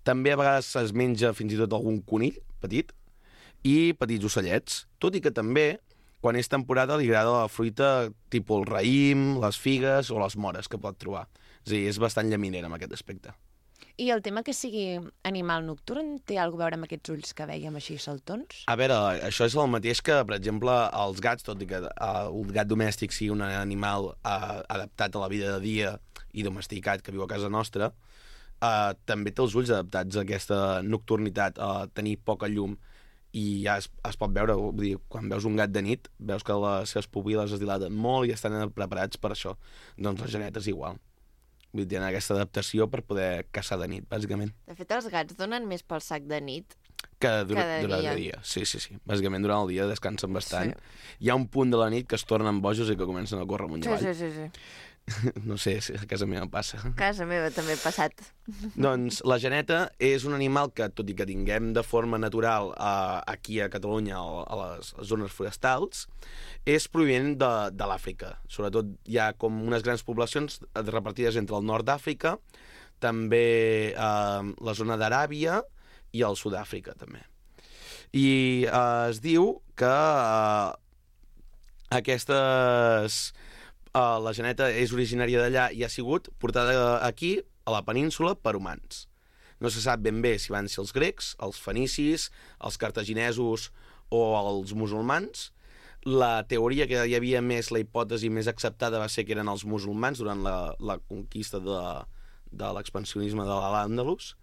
També a vegades es menja fins i tot algun conill petit i petits ocellets, tot i que també, quan és temporada, li agrada la fruita tipus el raïm, les figues o les mores que pot trobar. És a dir, és bastant llaminera en aquest aspecte. I el tema que sigui animal nocturn té alguna a veure amb aquests ulls que vèiem així saltons? A veure, això és el mateix que, per exemple, els gats, tot i que uh, un gat domèstic sigui un animal uh, adaptat a la vida de dia i domesticat que viu a casa nostra, uh, també té els ulls adaptats a aquesta nocturnitat, a tenir poca llum, i ja es, es pot veure, vull dir, quan veus un gat de nit, veus que les seves pupil·les es dilaten molt i estan preparats per això. Doncs la geneta és igual. Vull dir, tenen aquesta adaptació per poder caçar de nit, bàsicament. De fet, els gats donen més pel sac de nit. Que dura, Cada durant dia. el dia. Sí, sí, sí. Bàsicament, durant el dia descansen bastant. Sí. Hi ha un punt de la nit que es tornen bojos i que comencen a córrer amunt i Sí, avall. sí, sí, sí. No sé si a casa meva passa. A casa meva també ha passat. Doncs la geneta és un animal que, tot i que tinguem de forma natural eh, aquí a Catalunya o a les zones forestals, és provinent de, de l'Àfrica. Sobretot hi ha com unes grans poblacions repartides entre el nord d'Àfrica, també eh, la zona d'Aràbia i el Sud-àfrica, també. I eh, es diu que eh, aquestes... Uh, la geneta és originària d'allà i ha sigut portada aquí, a la península, per humans. No se sap ben bé si van ser els grecs, els fenicis, els cartaginesos o els musulmans. La teoria que hi havia més, la hipòtesi més acceptada va ser que eren els musulmans durant la, la conquista de, de l'expansionisme de l'Àndalus,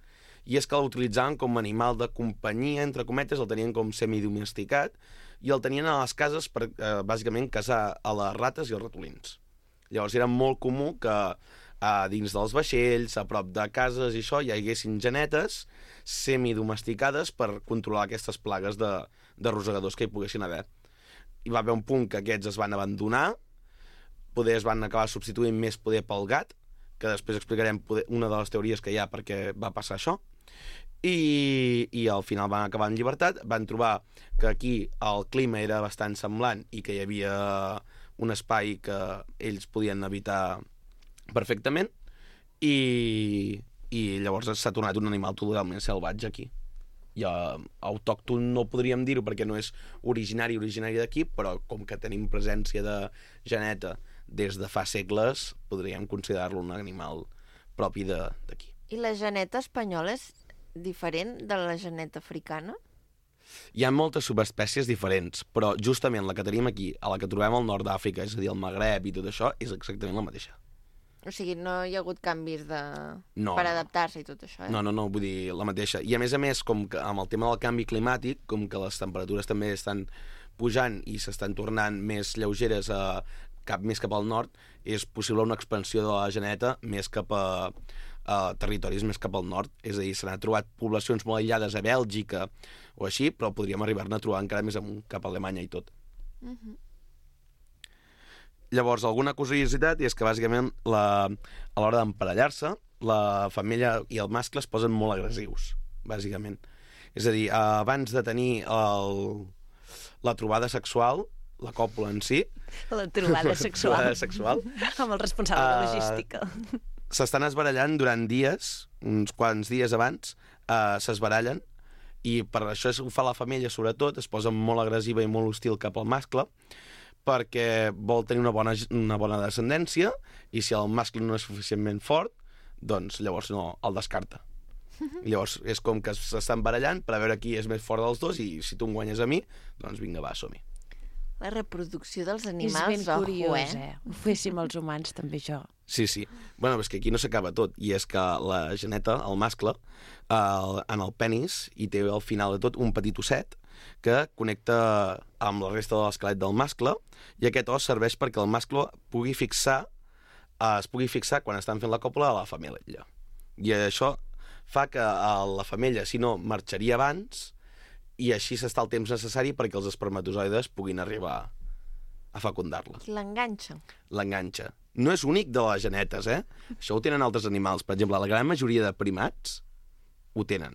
i és que l'utilitzaven com a animal de companyia, entre cometes, el tenien com semidomesticat, i el tenien a les cases per, eh, bàsicament, caçar a les rates i els ratolins. Llavors era molt comú que eh, dins dels vaixells, a prop de cases i això, hi haguessin genetes semidomesticades per controlar aquestes plagues de, de rosegadors que hi poguessin haver. Hi va haver un punt que aquests es van abandonar, poder es van acabar substituint més poder pel gat, que després explicarem poder, una de les teories que hi ha perquè va passar això, I, i al final van acabar en llibertat. Van trobar que aquí el clima era bastant semblant i que hi havia un espai que ells podien habitar perfectament, i, i llavors s'ha tornat un animal totalment salvatge aquí. I uh, autòcton no podríem dir-ho perquè no és originari originari d'aquí, però com que tenim presència de geneta des de fa segles, podríem considerar-lo un animal propi d'aquí. I la geneta espanyola és diferent de la geneta africana? Hi ha moltes subespècies diferents, però justament la que tenim aquí, a la que trobem al nord d'Àfrica, és a dir, el Magreb i tot això, és exactament la mateixa. O sigui, no hi ha hagut canvis de... No, per no. adaptar-se i tot això, eh? No, no, no, vull dir, la mateixa. I a més a més, com que amb el tema del canvi climàtic, com que les temperatures també estan pujant i s'estan tornant més lleugeres a cap més cap al nord, és possible una expansió de la geneta més cap a, a territoris més cap al nord. És a dir, s'han trobat poblacions molt aïllades a Bèlgica o així, però podríem arribar-ne a trobar encara més amunt, cap a Alemanya i tot. Uh-huh. Llavors, alguna curiositat és que, bàsicament, la, a l'hora d'emparellar-se, la femella i el mascle es posen molt agressius, bàsicament. És a dir, abans de tenir el, la trobada sexual, la còpula en si... La trobada sexual. La trobada sexual. Amb el responsable de Uh, logística. S'estan esbarallant durant dies, uns quants dies abans, uh, s'esbarallen, i per això ho fa la femella, sobretot, es posa molt agressiva i molt hostil cap al mascle, perquè vol tenir una bona, una bona descendència, i si el mascle no és suficientment fort, doncs llavors no, el descarta. I llavors és com que s'estan barallant per a veure qui és més fort dels dos, i si tu em guanyes a mi, doncs vinga, va, som-hi. La reproducció dels És animals, ben ojo, curiós, eh? eh? Ho féssim els humans, també, això. Sí, sí. Bueno, és que aquí no s'acaba tot, i és que la geneta, el mascle, el, en el penis, hi té al final de tot un petit osset que connecta amb la resta de l'esquelet del mascle, i aquest os serveix perquè el mascle pugui fixar, eh, es pugui fixar quan estan fent la còpula a la femella. I això fa que a la femella, si no, marxaria abans, i així s'està el temps necessari perquè els espermatozoides puguin arribar a fecundar-la. L'enganxa. L'enganxa. No és únic de les genetes, eh? Això ho tenen altres animals. Per exemple, la gran majoria de primats ho tenen.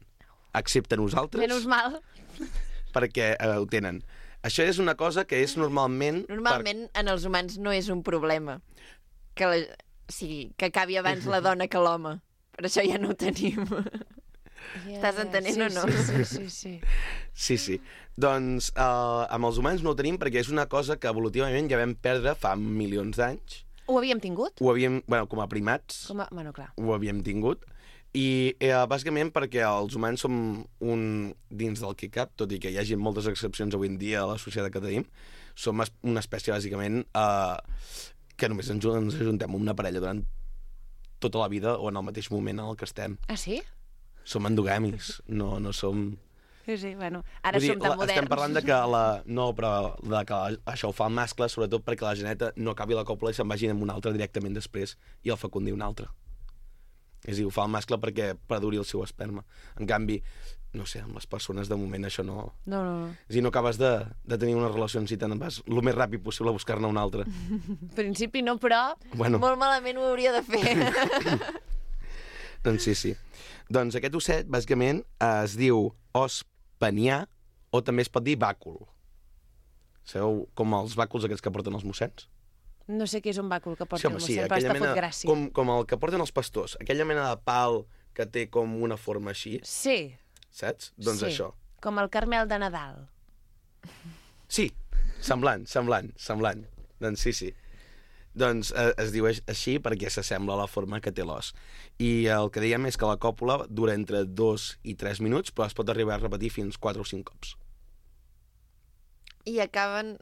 Excepte nosaltres, Menys mal. perquè eh, ho tenen. Això és una cosa que és normalment... Normalment en els humans no és un problema que, la... o sigui, que acabi abans la dona que l'home. Per això ja no ho tenim. Yeah, Estàs entenent sí, o no? Sí, sí, sí. sí. Sí, sí. Doncs eh, amb els humans no ho tenim perquè és una cosa que evolutivament ja vam perdre fa milions d'anys. Ho havíem tingut? Ho havíem, bueno, com a primats, Com a... Bueno, clar. ho havíem tingut. I eh, bàsicament perquè els humans som un, dins del que cap, tot i que hi hagi moltes excepcions avui en dia a la societat que tenim, som es- una espècie bàsicament eh, que només ens, ens ajuntem amb una parella durant tota la vida o en el mateix moment en el que estem. Ah, sí? Som endogamis, no, no som... Sí, sí, bueno. Ara Vull dir, som tan la- moderns. estem parlant de que la... No, però de que la, això ho fa el mascle, sobretot perquè la geneta no acabi la còpula i se'n vagi amb un altre directament després i el fecundi un altre. És a dir, ho fa el mascle perquè preduri el seu esperma. En canvi, no sé, amb les persones de moment això no... No, no, no. És a dir, no acabes de, de tenir una relació en si te'n vas el més ràpid possible a buscar-ne una altra. En principi no, però... Bueno, Molt malament ho hauria de fer. doncs sí, sí. Doncs aquest osset, bàsicament, es diu os penià o també es pot dir bàcul. Sabeu com els bàculs aquests que porten els mossens? No sé què és un bàcul que Sí, porta home, el sí, mossèn, però aquella està mena, fot gràcia. com, com el que porten els pastors, aquella mena de pal que té com una forma així, Sí, saps? Doncs sí. això. Com el Carmel de Nadal. Sí, semblant, semblant, semblant. Doncs sí, sí. Doncs eh, es diu així perquè s'assembla a la forma que té l'os. I el que dèiem és que la còpula dura entre dos i tres minuts, però es pot arribar a repetir fins quatre o cinc cops. I acaben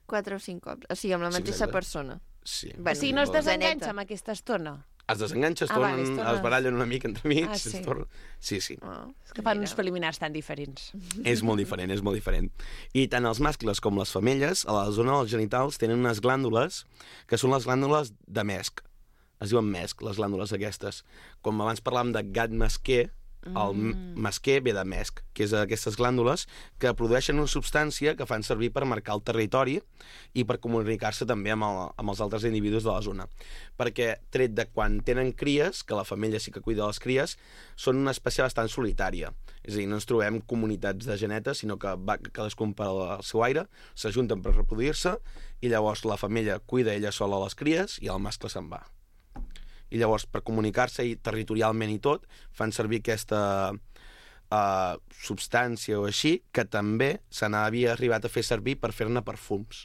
quatre o cinc cops. O sigui, amb la Sí, mateixa exacte. persona. Sí. Bueno, O sigui, no es la desenganxa neta. amb aquesta estona. Es desenganxa, es Ah, vale, tornen, es tornen- es barallen una mica entre amics. Ah, sí. Es tornen... Sí, sí. Oh, És que fan mira. uns preliminars tan diferents. És molt diferent, és molt diferent. I tant els mascles com les femelles, a la zona dels genitals, tenen unes glàndules que són les glàndules de mesc. Es diuen mesc, les glàndules aquestes. Com abans parlàvem de gat mesquer, el mm. mesquer ve de mesc, que és aquestes glàndules que produeixen una substància que fan servir per marcar el territori i per comunicar-se també amb, el, amb els altres individus de la zona. Perquè, tret de quan tenen cries, que la femella sí que cuida de les cries, són una espècie bastant solitària. És a dir, no ens trobem comunitats de genetes, sinó que va cadascun per al seu aire, s'ajunten per reproduir-se, i llavors la femella cuida ella sola les cries i el mascle se'n va. I llavors, per comunicar-se i territorialment i tot, fan servir aquesta uh, substància o així, que també se n'havia arribat a fer servir per fer-ne perfums,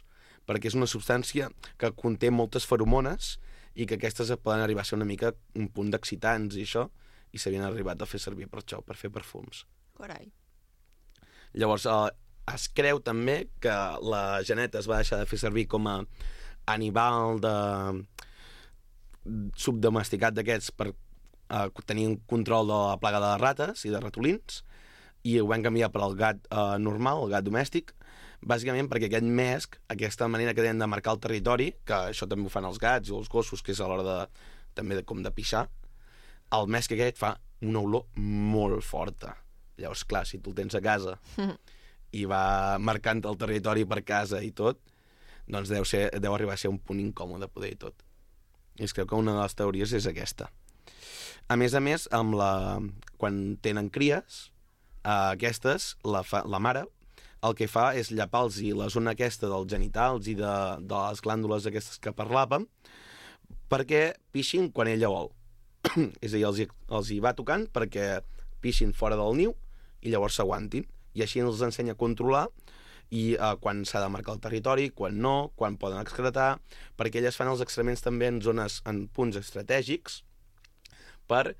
perquè és una substància que conté moltes feromones i que aquestes poden arribar a ser una mica un punt d'excitants i això, i s'havien arribat a fer servir per això, per fer perfums. Carai. Llavors, uh, es creu també que la geneta es va deixar de fer servir com a animal de subdomesticat d'aquests per uh, tenir un control de la plaga de rates i de ratolins, i ho van canviar per al gat uh, normal, el gat domèstic, bàsicament perquè aquest mesc, aquesta manera que tenen de marcar el territori, que això també ho fan els gats i els gossos, que és a l'hora de, també de, com de pixar, el mesc aquest fa una olor molt forta. Llavors, clar, si tu el tens a casa i va marcant el territori per casa i tot, doncs deu, ser, deu arribar a ser un punt incòmode poder i tot. I es creu que una de les teories és aquesta. A més a més, amb la... quan tenen cries, eh, aquestes, la, fa... la mare, el que fa és llapar-los la zona aquesta dels genitals i de, de les glàndules aquestes que parlàvem, perquè pixin quan ella vol. És a dir, els hi, els hi va tocant perquè pixin fora del niu i llavors s'aguantin. I així els ensenya a controlar i eh, quan s'ha de marcar el territori, quan no, quan poden excretar, perquè elles fan els excrements també en zones, en punts estratègics, per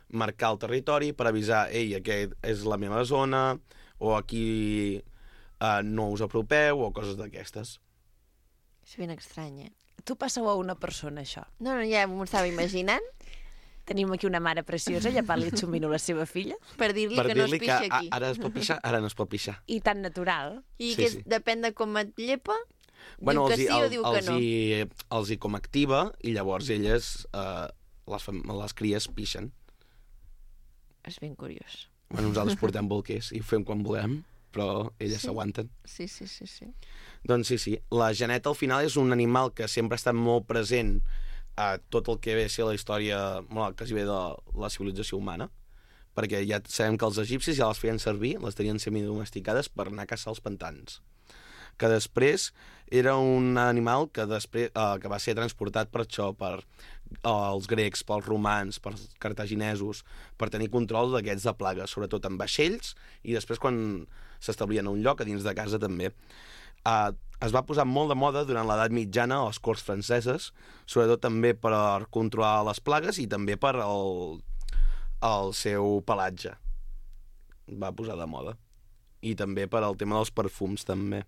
marcar el territori, per avisar, ei, aquest és la meva zona, o aquí eh, no us apropeu, o coses d'aquestes. És ben estrany, eh? Tu passa-ho a una persona, això. No, no, ja m'ho estava imaginant, Tenim aquí una mare preciosa, llepant-li el xumino a la seva filla, per dir-li Per que no es dir-li que pixa a- aquí. ara es pot pixar, ara no es pot pixar. i tan natural. I Sí, que és, sí. depèn de com et llepa, Bueno, diu que els hi- sí o el- diu que els no. hi, els hi com activa i llavors elles, eh, les, fam- les cries pixen. És ben curiós. Bueno, nosaltres portem bolquers i ho fem quan volem, però elles Sí. s'aguanten. Sí, sí, sí, sí. Doncs sí, sí. La geneta al final és un animal que sempre ha estat molt present a tot el que ve a ser la història, bueno, que es ve de la civilització humana, perquè ja sabem que els egipcis ja les feien servir, les tenien semidomesticades per anar a caçar els pantans. Que després era un animal que després eh, que va ser transportat per això, per eh, els grecs, pels romans, pels cartaginesos, per tenir control d'aquests de plagues, sobretot en vaixells, i després quan s'establien a un lloc, a dins de casa també. Eh, es va posar molt de moda durant l'edat mitjana a les corts franceses, sobretot també per controlar les plagues i també per el, el seu pelatge. Va posar de moda. I també per al tema dels perfums, també.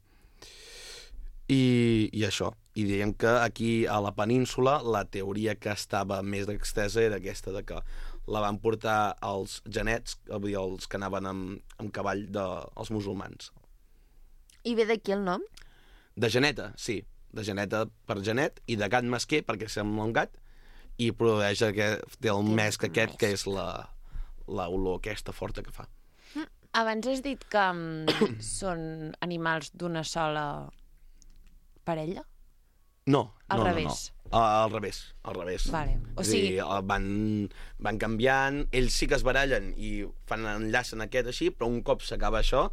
I, i això. I diem que aquí a la península la teoria que estava més extesa era aquesta, de que la van portar els genets, vull dir, els que anaven amb, amb cavall dels musulmans. I ve d'aquí el nom? De geneta, sí. De geneta per genet, i de gat mesquer, perquè sembla un gat, i produeix aquest, té el mesc aquest, que és la, la olor aquesta forta que fa. Abans has dit que um, són animals d'una sola parella? No, Al no, revés. no, no. Al revés, al revés. Vale. O És a dir, sigui- eh, van, van canviant, ells sí que es barallen i fan enllacen aquest així, però un cop s'acaba això,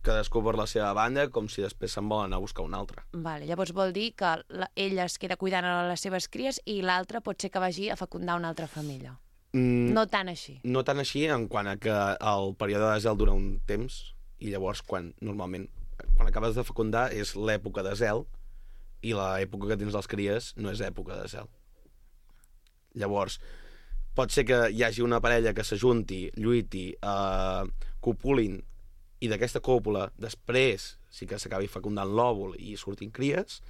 cadascú per la seva banda, com si després se'n volen anar a buscar un altre. Vale, llavors vol dir que la, ella es queda cuidant a les seves cries i l'altre pot ser que vagi a fecundar una altra família. Mm, No tant així. no tant així, en quant a que el període de zel dura un temps, i llavors quan normalment, quan acabes de fecundar és l'època de zel, i l'època que tens les cries no és època de zel. Llavors, pot ser que hi hagi una parella que s'ajunti, lluiti, eh, copulin, i d'aquesta còpula després sí que s'acabi fecundant l'òvul i surtin cries,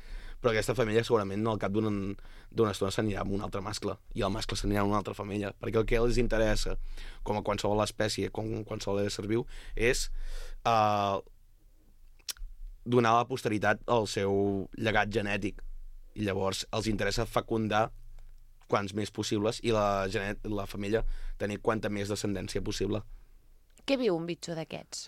però aquesta família segurament al cap d'una d'una estona s'anirà amb un altre mascle, i el mascle s'anirà amb una altra família, perquè el que els interessa, com a qualsevol espècie, com qualsevol ésser viu, és eh, donar a la posteritat el seu llegat genètic, i llavors els interessa fecundar quants més possibles i la, genet, la família tenir quanta més descendència possible. Què viu un bitxo d'aquests?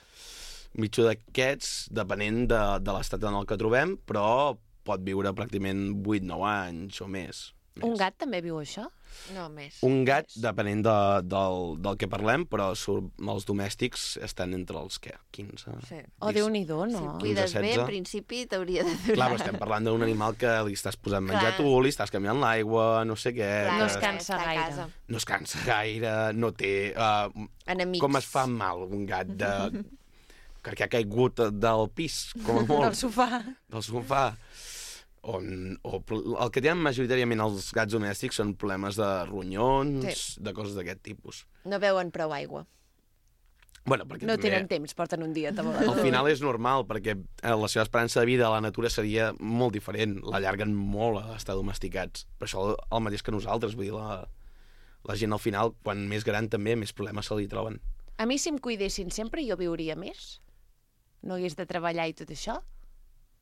Un bitxo d'aquests, depenent de, de l'estat en el que trobem, però pot viure pràcticament vuit nou anys o més. Un gat també viu això? No, més. Un gat, depenent de, del, del que parlem, però sur, els domèstics estan entre els, què, quinze? Sí. O Déu-n'hi-do, Si no? et cuides bé, setze. en principi t'hauria de durar. Clar, però estem parlant d'un animal que li estàs posant menjar Clar. tu, li estàs canviant l'aigua, no sé què... Clar, No es que- cansa està a gaire. casa. no es cansa gaire, no té... Uh, Enemics. com es fa mal un gat de... perquè ha caigut del pis, com a molt. Del sofà. Del sofà. O, o el que tenen majoritàriament els gats domèstics són problemes de ronyons, Sí. de coses d'aquest tipus. No beuen prou aigua. Bueno, perquè No també, tenen temps, porten un dia al tabolat. final és normal, perquè eh, la seva esperança de vida a la natura seria molt diferent. L'allarguen molt a estar domesticats. Per això el, el mateix que nosaltres. Vull dir, la, la gent al final, quan més gran també, més problemes se li troben. A mi, si em cuidessin sempre, jo viuria més. No hagués de treballar i tot això.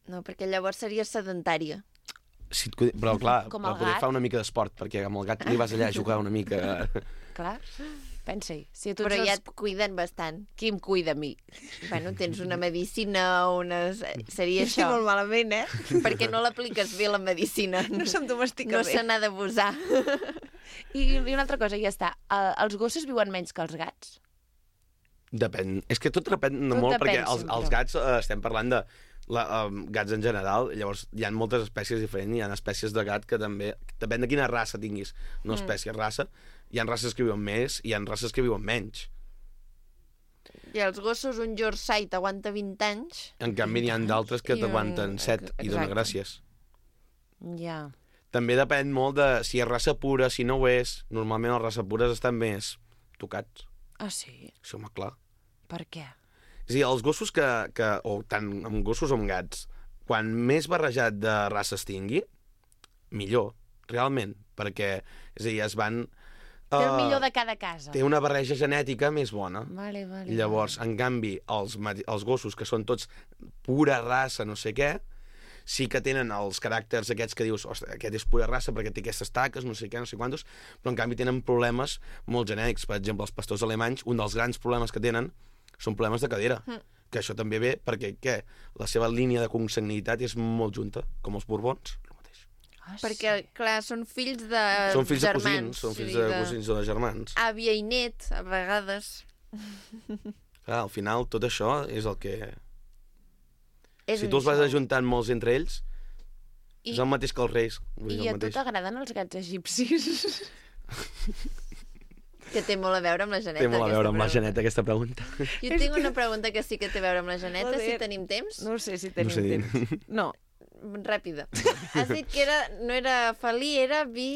No, perquè llavors seria sedentària. Si et cuida... Però clar, Com per el poder gat. fa una mica d'esport, perquè amb el gat li vas allà a jugar una mica... Clar, pensa-hi. Si a tots Però ja els... et cuiden bastant. Qui em cuida a mi? Bueno, tens una medicina o unes... Seria Sí, això. molt malament, eh? Perquè no l'apliques bé, la medicina. No se'm domestica No bé. se n'ha d'abusar. I, I una altra cosa, ja està. Uh, els gossos viuen menys que els gats? Depèn. És que tot depèn Tot molt, depèn perquè els, sempre. els gats, eh, estem parlant de la, um, gats en general, llavors hi ha moltes espècies diferents, hi ha espècies de gat que també, depèn de quina raça tinguis, no espècie, raça, hi ha races que viuen més i hi ha races que viuen menys. I els gossos, un Yorkshire t'aguanta vint anys. En canvi, n'hi ha d'altres que I un- t'aguanten set i dona exacte. gràcies. Ja. També depèn molt de si és raça pura, si no ho és. Normalment les races pures estan més tocats. Ah, sí? Sí, home, clar. Per què? És a dir, els gossos que, que o tant amb gossos o amb gats, quan més barrejat de races tingui, millor, realment, perquè, és a dir, es van... Té el eh, millor de cada casa. Té una barreja genètica més bona. Vale, vale. I llavors, en canvi, els, mati- els gossos, que són tots pura raça, no sé què, sí que tenen els caràcters aquests que dius, ostres, aquest és pura raça perquè té aquestes taques, no sé què, no sé quantos, però en canvi tenen problemes molt genètics. Per exemple, els pastors alemanys, un dels grans problemes que tenen són problemes de cadera. Mm. Que això també ve perquè, què? La seva línia de consanguinitat és molt junta, com els borbons. El mateix. Ah, sí. Perquè, clar, són fills de són fills de germans. cosins, són fills vull de dir, cosins o de germans. Àvia i net, a vegades. Clar, al final, tot això és el que... És si un tu els vas show. ajuntant molts entre ells, I, és el mateix que els reis. Vull dir, I el a tu mateix. t'agraden els gats egipcis? Que té molt a veure amb la Janeta. Té molt a aquesta veure amb la pregunta. Janeta, aquesta pregunta. Jo tinc una pregunta que sí que té a veure amb la Janeta, Joder. si tenim temps. No ho sé si tenim tenim sé. temps. temps. No. Ràpida. Has dit que era, no era felí, era vi...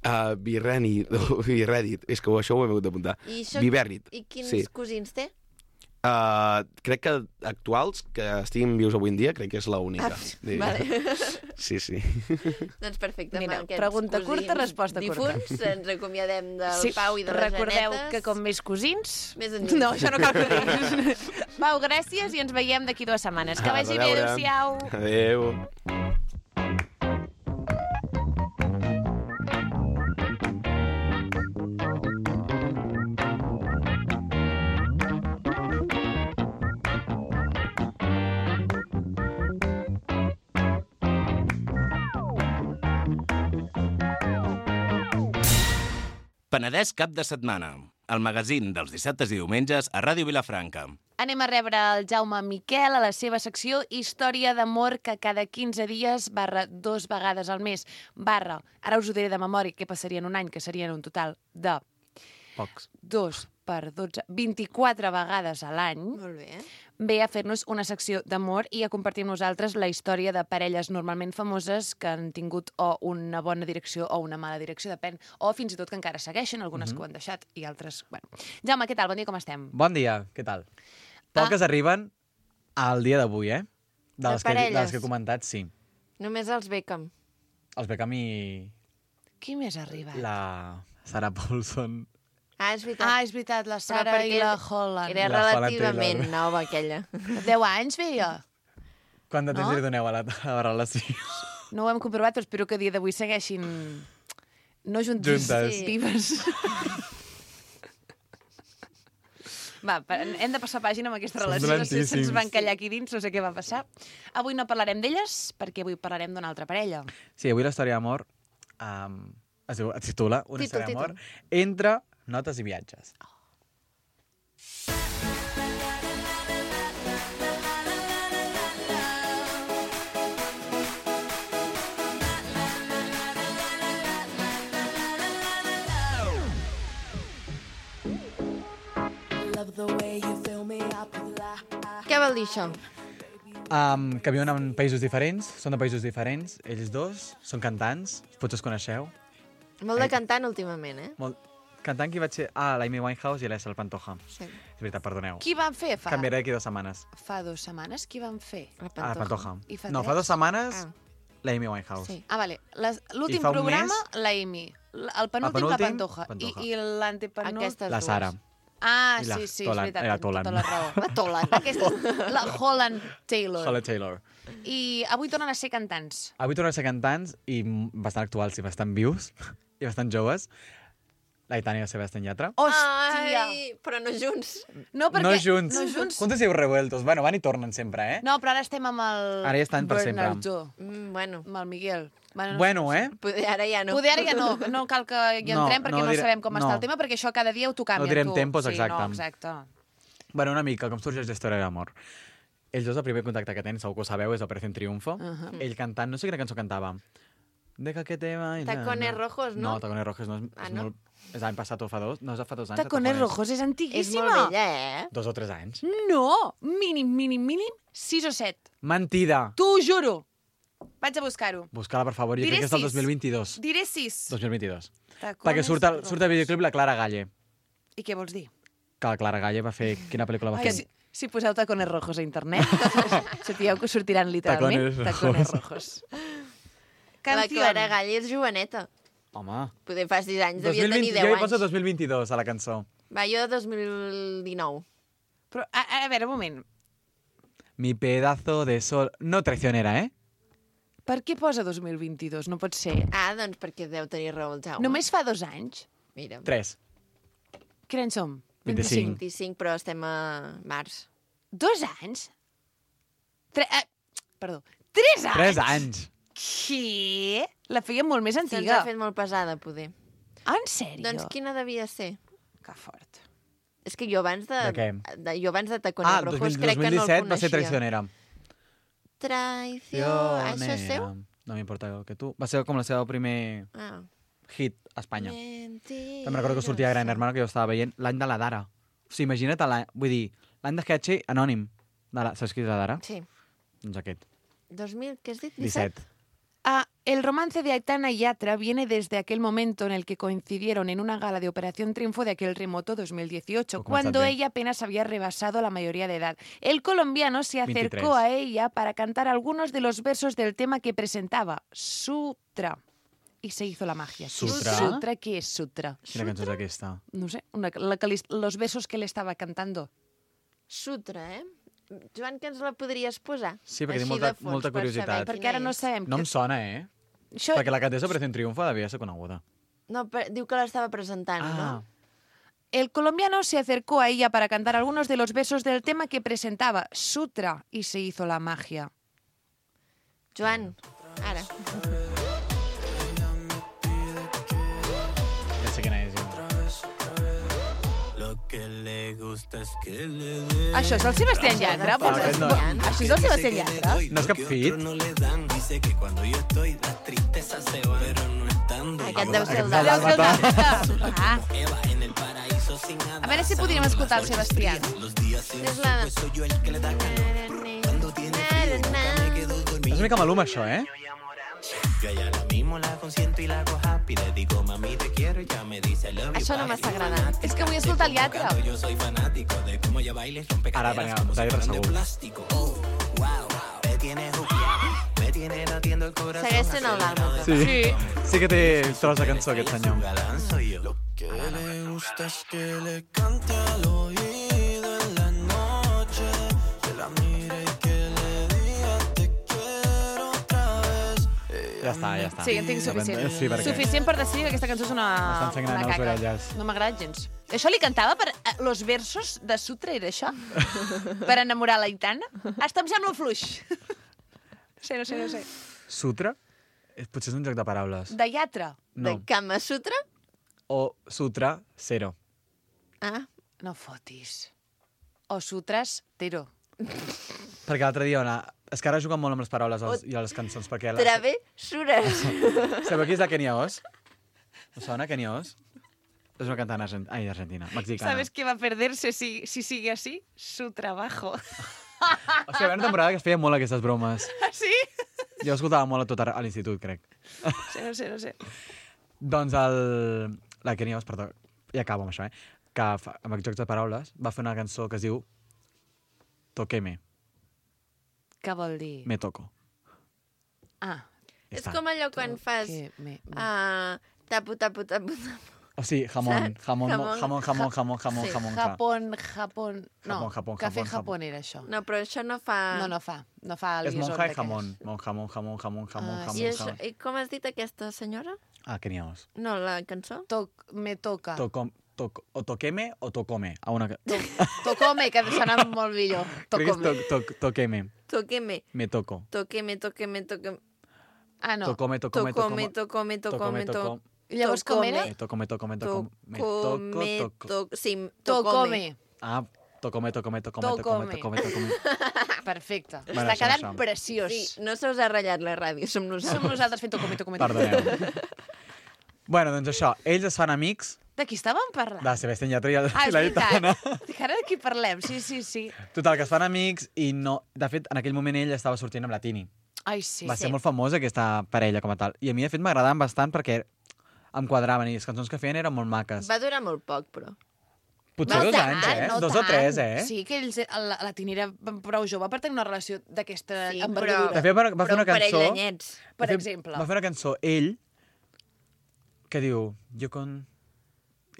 Uh, Birreni, Birrèdit, és que això ho he hagut d'apuntar. I, això... Vivèrrit. I quins sí. cosins té? Uh, crec que actuals, que estiguin vius avui en dia, crec que és l'única. Ah, vale. Sí, sí. Doncs perfecte. Mira, amb aquests pregunta cosins curta, resposta curta. difunts, ens acomiadem del Sí, Pau i de les recordeu Janetes. que com més cosins... Més enllà. No, això no cal que ho diguis. Pau, gràcies i ens veiem d'aquí dues setmanes. Que A vagi bé, reveure. adéu-siau. Adéu. Penedès cap de setmana, el magazín dels dissabtes i diumenges a Ràdio Vilafranca. Anem a rebre el Jaume Miquel a la seva secció Història d'amor que cada quinze dies barra dos vegades al mes barra, ara us ho diré de memòria què passaria en un any, que serien un total de Pocs. dos per dotze, vint-i-quatre vegades a l'any, Molt bé. ve a fer-nos una secció d'amor i a compartir amb nosaltres la història de parelles normalment famoses que han tingut o una bona direcció o una mala direcció, depèn, o fins i tot que encara segueixen, algunes mm-hmm. que ho han deixat i altres... Bueno. Jaume, què tal? Bon dia, com estem? Bon dia, què tal? Poques ah. arriben al dia d'avui, eh? De, De les que, de parelles. les que he comentat, sí. Només els Beckham. Els Beckham i Qui més ha arribat? la Sarah Paulson. Ah, és veritat. Ah, és veritat, la Però Sara perquè i la Holland. Era La Holland relativament Taylor. nova, aquella. deu anys veia. Quant de temps No? li doneu a la, a la relació? No ho hem comprovat, però espero que a dia d'avui segueixin... No juntes. Juntes. Sí. Vives. Va, pa- hem de passar pàgina amb aquesta Són relació. No sé si se'ns dolentíssims. va encallar aquí dins, no sé què va passar. Avui no parlarem d'elles, perquè avui parlarem d'una altra parella. Sí, avui la història d'amor um, es, diu, es titula Una Títol, història d'amor títol. entre notes i viatges. Què vol dir això? Um, que viuen en països diferents, són de països diferents, ells dos, són cantants, potser els coneixeu. Molt de Eh. cantant últimament, eh? Molt... Cantant qui vaig ser? Ah, l'Amy Winehouse i l'Essel Pantoja. Sí. És veritat, perdoneu. Qui van fer fa, Canviaré d'aquí dues setmanes. fa dues setmanes? Qui van fer? La Ah, Pantoja. I fa No, tres? fa dues setmanes Ah. l'Amy Winehouse. Sí. Ah, vale. Les- L'últim I fa un programa, mes- la Amy. L- El penúltim, la penúltim, Pantoja. Pantoja. I, i l'antepenúltim... Aquestes La dues. Sara. Ah, I la sí, sí, Tolan, és veritat, era tens Tolan. tota la raó. La Tolan. Aquesta, la Holland Taylor. Holly Taylor. I avui tornen a ser cantants. Avui tornen a ser cantants i m- bastant actuals i bastant vius i bastant joves. L'Aitana i la Sebastián Yatra. Hòstia! Ai, però no junts. No, perquè... No junts. No junts. Juntos i revueltos. Bueno, van i tornen sempre, eh? No, però ara estem amb el... Ara ja estan per sempre. Bernardo, Mm, bueno, amb el Miguel. Bueno, no Bueno, sé. eh? poder, ara ja no. Poder ara ja no, no cal que hi No, entrem perquè no no, diré- sabem com no. està el tema, perquè això cada dia ho tu canvien. No direm tu. tempos, sí, exacte. No, exacte. Bueno, una mica, com sorgeix la història d'amor. Ells dos, el primer contacte que tenen, segur que ho sabeu, és Operación Triunfo. Uh -huh. Ell cantant, no sé quina cançó cantava. Deja que te vaya. Tacones rojos, no? No, Tacones Rojos no és, Ah, és no? molt... És l'any passat o fa dos? No, és de fa dos anys. de Tacones Rojos és És antiguíssima. molt vella, eh? Dos o tres anys. No! Mínim, mínim, mínim, sis o set. Mentida! T'ho juro. Vaig a buscar-ho. Busca-la, per favor. Jo Diré crec que és del sis. dos mil vint-dos. Diré sis. dos mil vint-dos. Tacones Perquè surt el, rojos. surt el videoclip la Clara Galle. I què vols dir? Que la Clara Galle va fer... Quina pel·lícula va Ai, fer? si, si poseu tacones rojos a internet, sapigueu que us sortiran literalment Tacones tacones rojos. rojos. La Canción. Clara Gall és joveneta. Home. Poder fa sis anys, dos devia mil vint, tenir jo deu hi poso anys. dos mil vint-dos a la cançó. Va, jo dos mil dinou. Però, a, a veure, un moment. Mi pedazo de sol... No traicionera, eh? Per què posa dos mil vint-dos? No pot ser. Ah, doncs perquè deu tenir raó el Jaume. Només fa dos anys? Mira, Tres. Quin any som? vint-i-cinc. vint-i-cinc, però estem a març. Dos anys? Tre eh, perdó. Tres anys? Tres anys. Què? La feia molt més Se'ns antiga. ha fet molt pesada, poder. En sèrio? Doncs quina devia ser? Que fort. És que jo abans de... De què? de jo abans de Tacones Ah, Rojos dos mil, crec que no el dos mil disset coneixia. va ser traicionera. Traició... Això és seu? No m'importa el que tu. Va ser com la seva primer Ah. hit a Espanya. Mentirosa. Te'n recordo que sortia a Gran Hermano, que jo estava veient l'any de la Dara. O sigui, imagina't l'any... Vull dir, l'any de Sketchy anònim. De la... Saps qui és la Dara? Sí. Doncs aquest. dos mil, què has dit? disset. Ah, el romance de Aitana y Yatra viene desde aquel momento en el que coincidieron en una gala de Operación Triunfo de aquel remoto dos mil dieciocho, Ho començat cuando bé. ella apenas había rebasado la mayoría de edad. El colombiano se acercó veintitrés. a ella para cantar algunos de los versos del tema que presentaba, Sutra. Y se hizo la magia. Sutra? ¿Sutra? ¿Qué es Sutra? Quina cançó és aquesta? No sé, una, la que li- los versos que le estaba cantando. Sutra, eh? Joan, que ens la podries posar? Sí, perquè Així tinc molta- de fons, molta per saber curiositat. quina Perquè ara no és. sabem... No que- em sona, eh? Això... Perquè la cantés Operación Triunfo devia ser coneguda. No, però diu que l'estava presentant, Ah, no? El colombiano se acercó a ella para cantar algunos de los versos del tema que presentaba, Sutra, y se hizo la magia. Joan, ara. ja sé quina és. Jo. Això és el Sebastián Yatra? No, aquest no. Això és el Sebastián Yatra? No és cap fit? Aquest deu ser el Aquest de... és el Dàlmata. Ah. A veure si podríem escoltar el Sebastián. És la... És una mica maluma, això, eh? Això no m'està agradant. És que vull escoltar el Yatra. Ara, vinga, David segur. Segueix sent el Dàlmata. Sí. Sí que té tros de cançó, aquest senyor. Que le gusta es que le cante al oído en la noche, que la mire y que le diga te quiero otra vez. Ja està, ja està. Sí, en tinc suficient. Sí, perquè... Suficient per decidir que aquesta cançó és una, M'estan sangrant una les caca. orelles. No m'ha agradat gens. Això li cantava per eh, los versos de Sutra, era això? Per enamorar la Aitana? Hasta em sembla fluix. No sé, no sé, no sé. Sutra? Eh, Potser és un joc de paraules. De Yatra? De No. Kama Sutra? O Sutra, zero. Ah, No fotis. O Sutras, tero. Perquè l'altre dia, ona, és que ara juguen molt amb les paraules els, i les cançons, perquè... La... travessures. Sabeu qui és la Kenia Os? Us sona, Kenia Os? És una cantant argent... Ai, argentina, mexicana. ¿Sabes qué va a perderse si, si sigue así? Su trabajo. O sigui, hi havia una temporada que es feien molt aquestes bromes. ¿Sí? Jo escoltava molt a tot a l'institut, crec. Sí, no sé, no sé. Doncs el... la Kenia Os, perdó, ja acabo amb això, eh? Que fa, amb aquests jocs de paraules va fer una cançó que es diu Toqueme, Què vol dir? me toco. Ah, Ja És està. com allò quan fas... que me... Uh, tapu, tapu, tapu, tapu. O sigui, jamón, Saps? jamón, Jamón, jamón, jamón, jamón, jamón, sí. jamón, jamón. Japón, Japón... No, Japón, Japón, café Japón, Japón era això. No, però això no fa... No, no fa. No fa el És guisón monja i d'aquells. jamón. Mon, jamón, jamón, jamón, jamón, Ah, jamón, I, això, jamón. I com has dit aquesta senyora? Ah, Kenia Os. No, la cançó? Toc, me toca. Tocom, toc, o toqueme o tocome. A una... que- Tocome, que sona molt millor. Crec que és Tocome. toc, toc, toqueme, Toqueme, me toco. toqueme, toqueme, toqueme. Ah, no. Tocome, tocome, Tocome, tocome. tocome, tocome, Tocome, tocome. I llavors com era? Eh, Tocome, tocome, tocome. Me toco, Tocome, toco. toc... Sí, tocome. Tocome. Ah, tocome, tocome, tocome, tocome, Tocome. tocome, tocome. Perfecte. Bueno, Està això, quedant això. preciós. Sí, no se us ha ratllat la ràdio, som Som nosaltres. nosaltres fent tocome, tocome, tocome. Perdoneu. Bueno, doncs això, ells es fan amics De qui estàvem parlant? de Sebastián Yatra i el- Ah, i és la Aitana. veritat. Dic, ara de qui parlem? Sí, sí, sí. Total, que es fan amics i no... De fet, en aquell moment ell estava sortint amb la Tini. Ai, sí. Va ser molt famosa aquesta parella com a tal. I a mi, de fet, m'agradaven bastant perquè em quadraven i les cançons que feien eren molt maques. Va durar molt poc, però. Potser no dos tant, anys, eh? no dos o tant. tres, eh? Sí, que ells, la, la Tini era prou jove per tenir una relació d'aquesta Sí, envergadura. De fet, va, va fer però una un parell cançó... d'anyets. Per de fet, exemple. Va fer una cançó, ell, que diu... Jo con...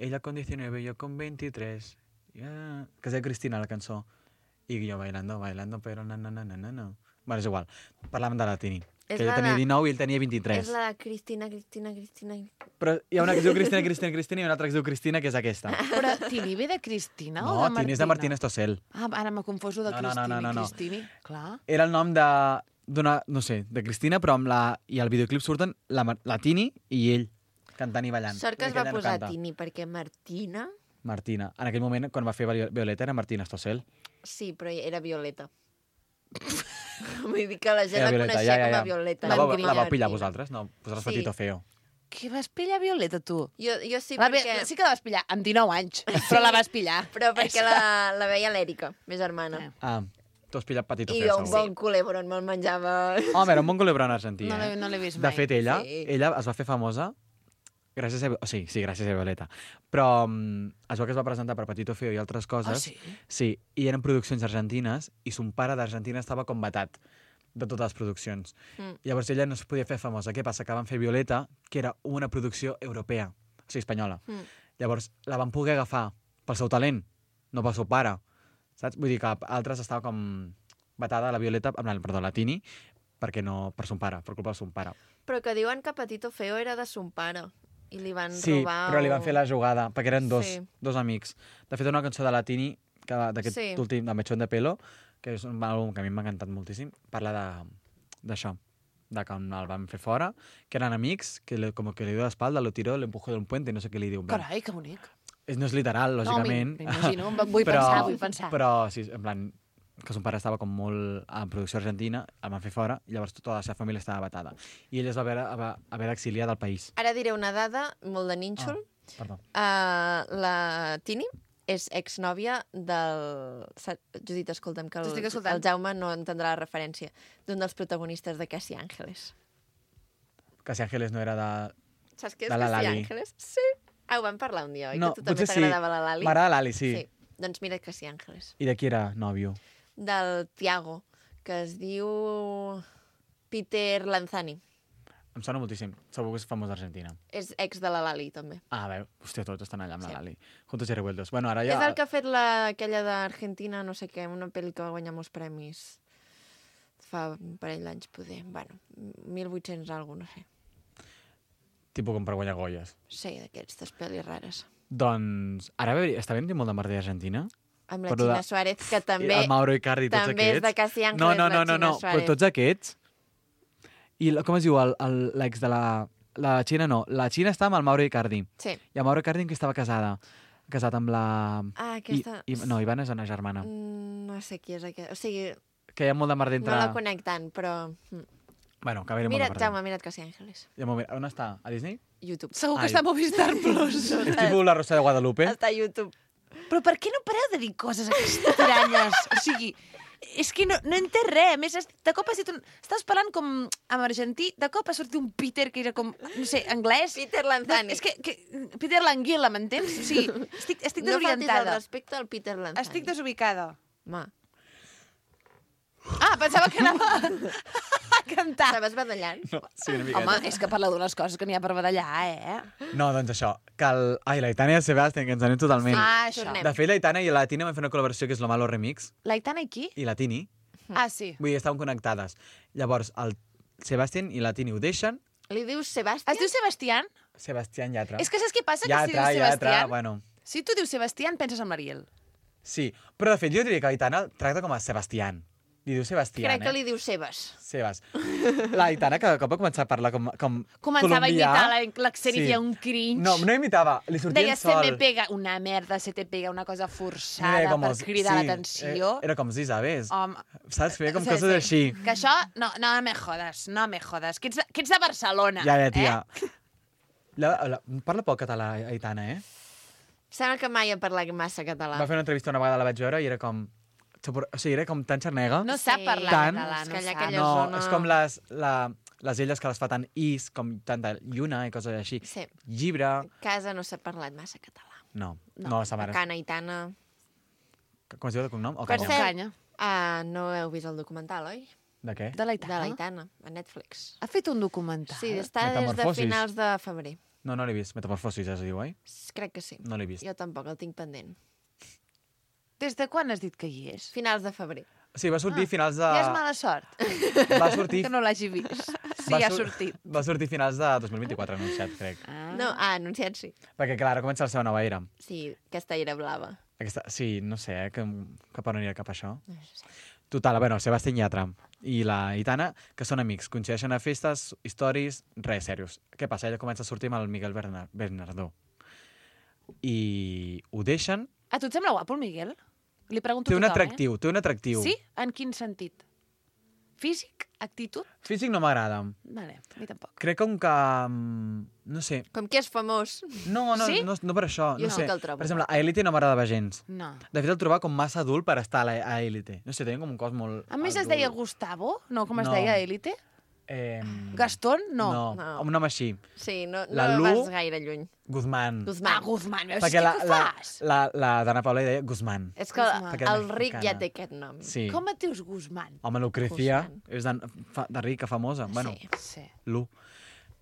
Ella con diecinueve, yo con veintitrés. Yeah. Que es diu Cristina, la cançó. I jo bailando, bailando, però no, no, no, no, no, no. Bueno, és igual. Parlàvem de la Tini. És Que ella la tenia de- dinou i ell tenia vint-i-tres. És la de Cristina, Cristina, Cristina... Però hi ha una que es diu Cristina, Cristina, Cristina i una altra que es diu Cristina, que és aquesta. Però Tini ve de Cristina No, o de Martina? Tini és de Martín Estossel. Ah, ara m'ha confoso de No, no, no, Cristini. no, no, no. Cristini, clar. Era el nom de d'una, no sé, de Cristina, però amb la... I al videoclip surten la, Mar- la Tini i ell cantant i ballant. Sort que es I va ella no posar canta. Tini, perquè Martina... Martina. En aquell moment, quan va fer Viol- Violeta, era Martina Estossel. Sí, però era Violeta. Vull dir que la gent Era la Violeta, coneixia ja, ja, com ja. a Violeta. La, vau, Martina la vau pillar Martina. vosaltres? No, vosaltres Sí. Patito Feo. Què vas pillar, Violeta, tu? Jo, jo sí, La, perquè... Sí que la vas pillar, amb dinou anys, però la vas pillar. Però perquè la, la veia l'Èrica, ma germana. Eh. Ah, tu has pillat Patito I Feo, jo un segur. bon culebron me'l menjava... Home, era un bon culebron argentí, No l'he eh? no l'he vist De mai. fet, ella, Sí. ella es va fer famosa gràcies a... O sigui, sí, gràcies a Violeta. Però um, es veu que es va presentar per Patito Feo i altres coses. Ah, sí? Sí, i eren produccions argentines i son pare d'Argentina estava com vetat de totes les produccions. Mm. Llavors ella no es podia fer famosa. Què passa? Que van fer Violeta, que era una producció europea, o sigui, espanyola. Mm. Llavors la van poder agafar pel seu talent, no pel seu pare. Saps? Vull dir que altres estava com vetada la Violeta, amb la, perdó, la Tini, perquè no, per son pare, per culpa del son pare. Però que diuen que Patito Feo era de son pare. I li van Sí, robar... però li van o- fer la jugada, perquè eren dos, Sí. dos amics. De fet, una cançó de la Tini, que d'aquest Sí. últim, de Mechón de Pelo, que és un àlbum que a mi m'ha encantat moltíssim, parla de d'això, de que el van fer fora, que eren amics, que le, com que li dio l'espalda, lo tiró, le empujó d'un puente, no sé què li diu. en plan. Carai, que bonic. És, no és literal, lògicament. No, m'imagino, vull però, pensar, vull pensar. Però, sí, en plan, que son pare estava com molt en producció argentina, el van fer fora, i llavors tota la seva família estava vetada. I ell es va haver, va haver d'exiliar del país. Ara diré una dada molt de nínxol. Ah, perdó. Uh, la Tini és exnòvia del... Judit, escolta'm, que el, T'estic escoltant. el Jaume no entendrà la referència. D'un dels protagonistes de Casi Ángeles. Casi Ángeles no era de... Saps què és De la Casi Lali. Ángeles? Sí. Ah, ho vam parlar un dia, oi? No, que tu també potser sí. t'agradava la Lali. M'agrada Lali, sí. Sí. Doncs mira Casi Ángeles. I de qui era nòvio? Del Tiago, que es diu Peter Lanzani. Em sona moltíssim. Segur que és famós d'Argentina. És ex de la Lali, també. Ah, a veure, hòstia, tots estan allà amb Sí. la Lali. Juntos y revueltos. Bueno, ara Ja... ja... És el que ha fet la, aquella d'Argentina, no sé què, una pel·li que va guanyar molts premis fa un parell d'anys, poder. Bueno, mil vuit-cents algo, no sé. Tipus com per guanyar Goyes. Sí, d'aquestes pel·lis rares. Doncs, ara bé, està ben molt de merder a Argentina? Amb la Però Gina de- Suárez, que també... El Mauro Icardi, tots també aquests. és de Casi Ángeles, no, no, no, la no, Gina no, Suárez. però tots aquests... I la- com es diu el- el- l'ex de la... La Xina no, la Xina està amb el Mauro Icardi. Sí. I el Mauro Icardi amb qui estava casada? Casat amb la... Ah, aquesta... I, i, no, Ivana és una germana. Mm, No sé qui és aquesta. O sigui, Que hi ha molt de merder entre... no la conec tant, però... mm. Bueno, que a veure, molt de Mira't, merder. Jaume, mira't Casi Ángeles. Ja m'ho mira. On està? A Disney? YouTube. Segur que Ai. està a Movistar Plus. És tipus la Rosa de Guadalupe? Està a YouTube. Però per què no pareu de dir coses aquestes tiranyes? O sigui, és que no, no entès res. A més, es- de cop has dit un... Estàs parlant com en argentí, de cop ha sortit un Peter que era com, no sé, anglès. Peter Lanzani. És que, que Peter Languila, m'entens? O sigui, estic, estic No faltis el desorientada. respecte al Peter Lanzani. Estic desubicada. Ma, Ah, pensava que anava a cantar. estaves badallant? No, sí, una miqueta. Home, és que parla d'unes coses que n'hi ha per badallar, eh? No, doncs això, que el... Ai, l'Aitana i el Sebastián, que ens anem totalment. Ah, això. tornem. De fet, l'Aitana i la Tina van fer una col·laboració que és Lo Malo Remix, L'Aitana i qui? i la Tini, Ah, sí. vull dir, estaven connectades. Llavors, el Sebastián i la Tini ho deixen, Li dius Sebastián? Es diu Sebastián? Sebastián Llatra. És que saps què passa? Que si Llatra, dius Llatra, Sebastián... bueno... Si tu dius Sebastián, penses en l'Ariel. Sí, però de fet jo diria que l'Aitana el tracta com a Sebastián. Li diu Sebastián, Crec que eh? li diu Sebas. Sebas. L'Aitana cada cop va començar a parlar com, com Començava colombià. a imitar la- l'accent i feia un cringe. No, no imitava, li sortia Deia, en se sol. me pega una merda, se te pega una cosa forçada Era com per els- cridar sí, l'atenció. eh, Era com si sabés. Home, Saps? Feia com sí, coses sí. així. Que això, no, no me jodes, no me jodes. Que ets, que ets de Barcelona. Ja, ja, tia. Eh? La, la, parla poc català, Aitana, eh? Sembla que mai ha parlat massa català. Va fer una entrevista una vegada, la vaig veure, i era com... O sigui, era com tan xarnega. No sap Sí, parlar tant. català, És no que allà sap. aquella no, zona- és com les, la, les elles que les fa tan is, com tanta lluna i coses així. Sí. Llibre... A casa no s'ha parlat massa català. No, No. no, no sa mare. Cana i Tana... Com es diu de cognom? O Per Canya? cert, Canya. ah, no heu vist el documental, oi? De què? De l'Aitana. De l'Aitana, a Netflix. Ha fet un documental. Sí, està des de Metamorfosis. finals de febrer. No, no l'he vist. Metamorfosis, es diu, oi? Crec que sí. No l'he vist. Jo tampoc, el tinc pendent. Des de quan has dit que hi és? Finals de febrer. Sí, va sortir Ah, finals de... Ja és mala sort, Va sortir... que no l'hagi vist. Sí, va ha sur- sortit. Va sortir finals de dos mil vint-i-quatre, anunciat, crec. Ah. No, ah, anunciat sí. Perquè, clar, ara comença la seva nova era. Sí, aquesta era blava. Aquesta... Sí, no sé, eh, que, cap on anirà cap a això. No sé. Total, bueno, el Sebastián Llatra i la Aitana, que són amics, coincideixen a festes, històries, res, serios. Què passa? Ella comença a sortir amb el Miguel Berna- Bernardó. I ho deixen. A tu et sembla guapo, el Miguel? Li pregunto Té un a tothom, atractiu, té un atractiu. eh? Sí? En quin sentit? Físic? Actitud? Físic no m'agrada. Vale, a mi tampoc. Crec com que... mm, No sé. Com que és famós. No, no, Sí? no, no per això. Jo no sí sé. que el trobo. Per exemple, a Elite no m'agradava gens. No. De fet, el trobava com massa adult per estar a, la, a Elite. No sé, tenia com un cos molt A més es adult. deia Gustavo? No, com es No. deia Élite? Eh, Gastón? No. No, No. amb un nom així. Sí, no, no La Lu- vas gaire lluny. Guzmán. Guzmán. Ah, Guzmán, veus Perquè què la, que la, fas? la, la Dana Paula hi deia Guzmán. És que Guzmán. Perquè era el ric ja mexicana. té aquest nom. Sí. Com et dius Guzmán? Home, Lucrecia Guzmán. és de, fa- de rica, famosa. Bueno, Sí. Sí. Lu.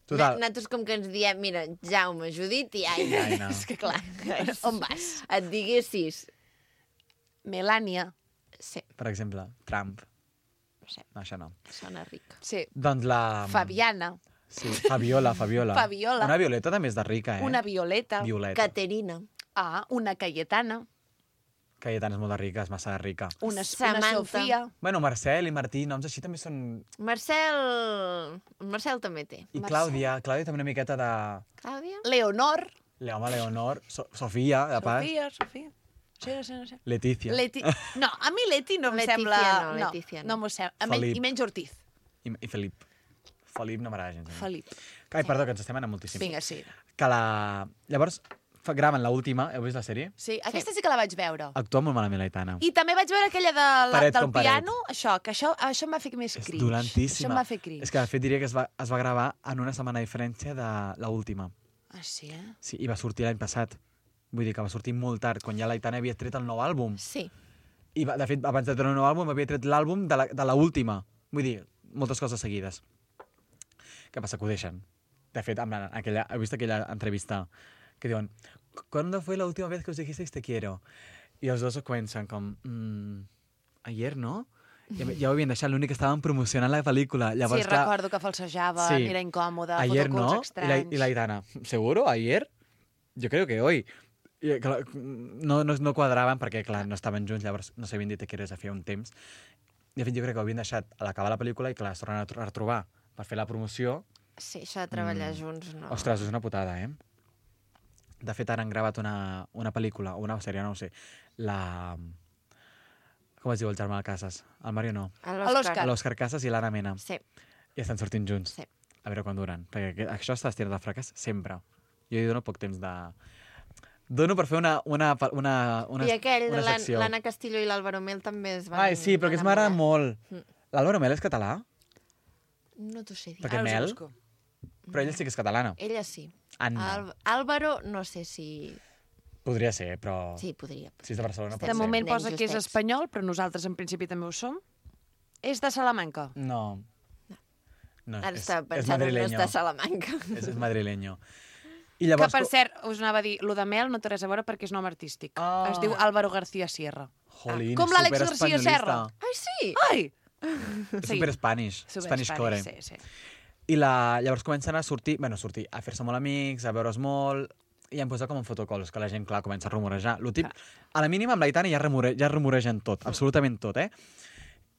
Total. Total. Nosaltres com que ens diem, mira, Jaume, Judit i Aina. Aina. És que clar, on vas? Et diguessis... Melània. Sí, Per exemple, Trump. sí, No, això no. sona ric. Sí. Doncs la... Fabiana. Sí, Fabiola, Fabiola. Fabiola. Una Violeta també és de rica, eh? Una Violeta. Violeta. Caterina. Ah, una Cayetana. Cayetana és molt de rica, és massa rica. Una, una Samantha. Sofia. Bueno, Marcel i Martí, noms així també són... Marcel... Marcel també té. I Marcel. Clàudia, Clàudia també una miqueta de... Clàudia? Leonor. Leoma, Leonor, so Sofia, de pas. Sofia, Sofia. Sí, no sé, no sé. Letícia. Leti... No, a mi Leti no em Letícia sembla... no, Letícia no. no m'ho sembla. A menys, Felip. I menys Ortiz. I, I Felip. Felip no m'agrada gens. a mi. Felip. Ai, perdó, que ens estem anant moltíssim. Vinga, sí. Que la... Llavors, fa- graven l'última, heu vist la sèrie? Sí, aquesta sí que la vaig veure. Actua molt malament l'Aitana. I també vaig veure aquella de la, Paret del com paret. piano, això, que això, això em va fer més És cringe. dolentíssima. Això em va fer cringe. És que, de fet, diria que es va, es va gravar en una setmana de diferència de l'última. Ah, sí, eh? Sí, i va sortir l'any passat. Vull dir que va sortir molt tard, quan ja l'Aitana havia tret el nou àlbum. Sí. I, va, de fet, abans de treure el nou àlbum, havia tret l'àlbum de la- de l'última. Vull dir, moltes coses seguides. Què passa? Que ho deixen. De fet, amb la, aquella, he vist aquella entrevista que diuen ¿Cuándo fue la última vez que os dijisteis te quiero? I els dos comencen com mm, ayer, no? Ja, ja ho havien deixat, l'únic que estaven promocionant la pel·lícula. Llavors, Sí, clar, recordo que falsejaven, Sí. era incòmode, ayer fotocols no, y la, estranys. y la Aitana, ¿seguro? ¿Ayer? Yo creo que hoy. I, clar, no, no, no quadraven perquè, clar, no estaven junts, llavors no s'havien dit que era a fer un temps. De fet, jo crec que ho havien deixat a l'acabar la pel·lícula i, clar, es tornen a tro- a retrobar per fer la promoció. Sí, això de treballar Mm. junts, no. Ostres, és una putada, eh? De fet, ara han gravat una, una pel·lícula, o una sèrie, no ho sé, la... Com es diu el germà de Casas? El Mario no. A l'Òscar. L'Òscar Casas i l'Anna Mena. Sí, I estan sortint junts. sí. A veure quan duren. Perquè aquest- això està estirat de fracàs sempre. Jo hi dono poc temps de... Dono per fer una, una, una, una, I aquell, una l'An- secció. l'Anna Castillo i l'Àlvaro Mel també es van Ai, sí, però que es m'agrada enamorar. molt. Mm. L'Àlvaro Mel és català? No t'ho sé dir. Perquè Ara us ho Mel... busco. Però ella sí que és catalana. Ella sí. Anna. Al Álvaro, no sé si... Podria ser, però... Sí, podria. Si és de Barcelona, pot De ser. moment Ben posa que és justets. espanyol, però nosaltres en principi també ho som. És de Salamanca. No. No, Ara és, estava és pensant en no madrileño. estar a Salamanca. És, és madrileño. I Que, llavors... per cert, us anava a dir, lo de Mel no té res a veure perquè és nom artístic. Ah. Es diu Álvaro García Sierra. Jolín, Com és l'Àlex García superespanyolista. Serra. Ai, sí! Ai! És Sí. super Spanish. Super Spanish core. Sí, sí. I la, llavors comencen a sortir, bueno, a sortir, a fer-se molt amics, a veure's molt, i han posat com en fotocols, que la gent, clar, comença a rumorejar. Lo tip, a la mínima, amb l'Aitana ja, rumore, ja rumoregen tot, absolutament tot, eh?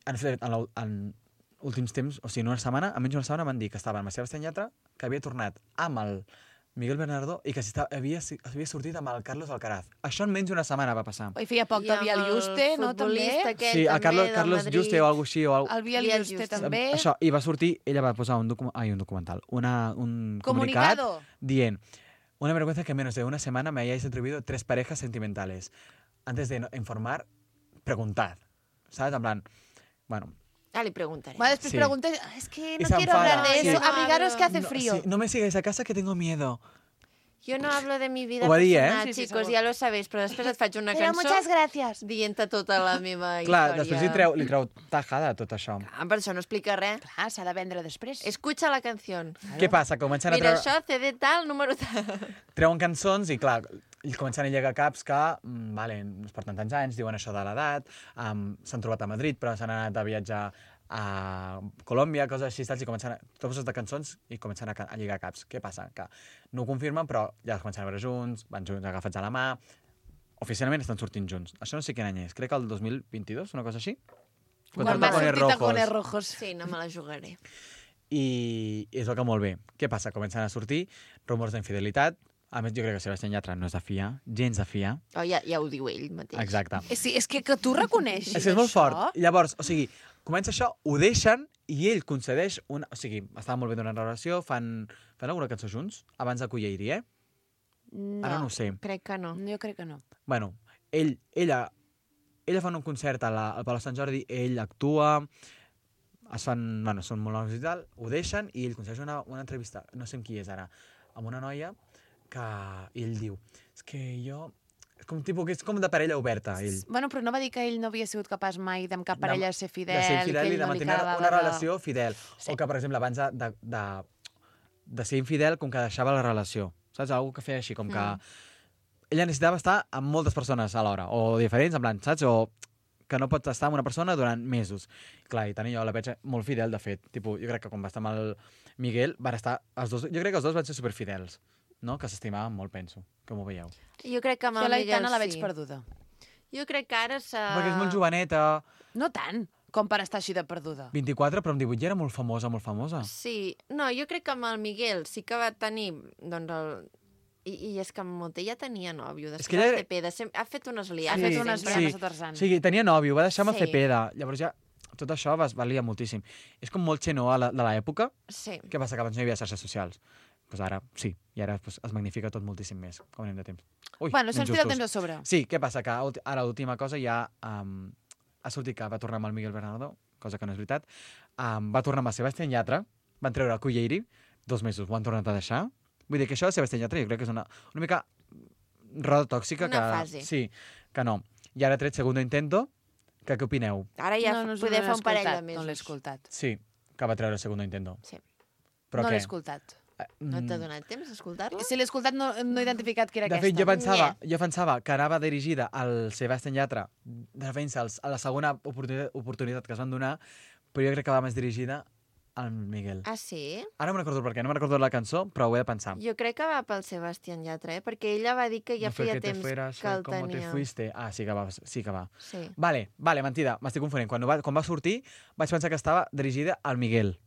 En, fet, en, la- en últims temps, o sigui, en una setmana, en menys d'una setmana, van dir que estava amb la Sebastián Yatra, que havia tornat amb el Miguel Bernardo i que si estava, havia, havia sortit amb el Carlos Alcaraz. Això en menys d'una setmana va passar. I feia poc I del amb Vial el Juste, no, també? futbolista aquell Sí, a també Carlos, del Carlos Madrid. Juste o alguna així, o alguna El Vial Vial Juste Juste. també. Això, i va sortir, ella va posar un, docu ai, un documental, una, un comunicat Comunicado. dient una vergüenza que en menos de una semana me hayáis atribuido tres parejas sentimentales. Antes de no- informar, preguntad. ¿Sabes? En plan, bueno... Ah, li preguntaré. Va, després Sí. pregunta, es que Y no se quiero enfada. hablar de Sí. eso, No abrigaros que hablo. hace no, frío. sí, no me sigáis a casa que tengo miedo. Jo no hablo de mi vida Ho va dir, eh? personal, Sí, sí, chicos, segur. ja lo sabéis, però després et faig una Pero cançó muchas gracias. dient-te tota la meva Clar, història. després li treu, li treu tajada tot això. Ah, per això no explica res. Clar, s'ha de vendre després. Escucha la canció. Què passa? Comencen a Mira, treure... això, C D tal, número tal. treuen cançons i, clar, i comencen a llegar caps que, mm, vale, no es porten tants anys, diuen això de l'edat, um, s'han trobat a Madrid, però s'han anat a viatjar a Colòmbia, coses així, tals, i comencen a... Tots de cançons i comencen a, ca- a lligar caps. Què passa? Que no ho confirmen, però ja es comencen a veure junts, van junts agafats a la mà, oficialment estan sortint junts. Això no sé quin any és, crec que el dos mil vint-i-dos, una cosa així. Quan Con va tacones sortir Tacones rojos. Rojos. Sí, no me la jugaré. I, i és el que molt bé. Què passa? Comencen a sortir rumors d'infidelitat. A més, jo crec que Sebastián Yatra no és de fiar, gens de fiar. Oh, ja, ja ho diu ell mateix. Exacte. Eh, Sí, és que, que tu reconeixis És que és molt això. fort. Llavors, o sigui, comença això, ho deixen i ell concedeix una... O sigui, estaven molt bé d'una relació, fan, fan alguna cançó junts abans de que hi hagi, eh? No, Ara no ho sé. Crec que no. jo crec que no. Bueno, ell, ella, ella fan un concert a la, al Palau Sant Jordi, ell actua, es fan, bueno, són molt noms i tal, ho deixen i ell concedeix una, una entrevista, no sé amb qui és ara, amb una noia que i ell diu, és que jo... És com, tipus, que és com de parella oberta, ell. Bueno, però no va dir que ell no havia sigut capaç mai d'amb cap parella de ser fidel, de ser infidel que i ell de no li mantenir acabava una de- relació fidel. Sí. O que, per exemple, abans de, de, de, de ser infidel, com que deixava la relació. Saps? Algú que feia així, com que... Ella necessitava estar amb moltes persones alhora, o diferents, en plan, saps? O que no pots estar amb una persona durant mesos. Clar, i tant i jo la veig molt fidel, de fet. Tipo, jo crec que quan va estar amb el Miguel, van estar... Els dos, jo crec que els dos van ser superfidels, no? Que s'estimaven molt, penso. Com ho veieu? Jo crec que amb Jo el la Miguel Aitana la veig sí. perduda. Jo crec que ara s'ha... Perquè és molt joveneta, No tant, com per estar així de perduda. vint-i-quatre, però amb divuit ja era molt famosa, molt famosa. Sí, no, jo crec que amb el Miguel sí que va tenir, doncs, el... I, I és que Monté ja tenia nòvio. Després que ella- de Cepeda sem- ha fet unes Ha liades. fet Sí, unes sempre. liades sí. a Tarzan. O sigui, tenia nòvio, va deixar amb Sí. el Cepeda. Llavors ja tot això va, valia moltíssim. És com molt xenó a la, de l'època. Sí. Què passa? Que abans no hi havia xarxes socials. Pues ara sí, i ara pues, es magnifica tot moltíssim més, com anem de temps. Ui, Bueno, se'ns tira el injustos. temps a sobre. Sí, què passa? Que ulti- ara l'última cosa ja um, ha sortit que va tornar amb el Miguel Bernardo, cosa que no és veritat. Um, va tornar amb el Sebastián Yatra, van treure el Culleiri, dos mesos ho han tornat a deixar. Vull dir que això de Sebastián Yatra jo crec que és una, una mica roda tòxica. Una que, fase. Sí, que no. I ara ha tret Segundo Intento, que què opineu? Ara ja no, no, us poder l'he fer un parell de escoltat, mesos. No l'he escoltat. Sí, que va treure Segundo Intento. Sí. Però no què? l'he escoltat. Eh, No t'ha mm, donat temps d'escoltar-lo? Si l'he escoltat no, no he identificat que era De aquesta. fet, jo pensava, jo pensava que anava dirigida al Sebastián Yatra de defensa als- a la segona oportunitat, oportunitat que es van donar, però jo crec que va més dirigida al Miguel. Ah, sí? Ara no me'n recordo per què, no me'n recordo la cançó, però ho he de pensar. Jo crec que va pel Sebastián Yatra, eh? Perquè ella va dir que ja No fue feia que te temps fueras, que fue el como te tenia. fuiste. Ah, sí que va. Sí que va. Sí. Vale, vale, mentida, m'estic confonent. Quan va, quan va sortir vaig pensar que estava dirigida al Miguel.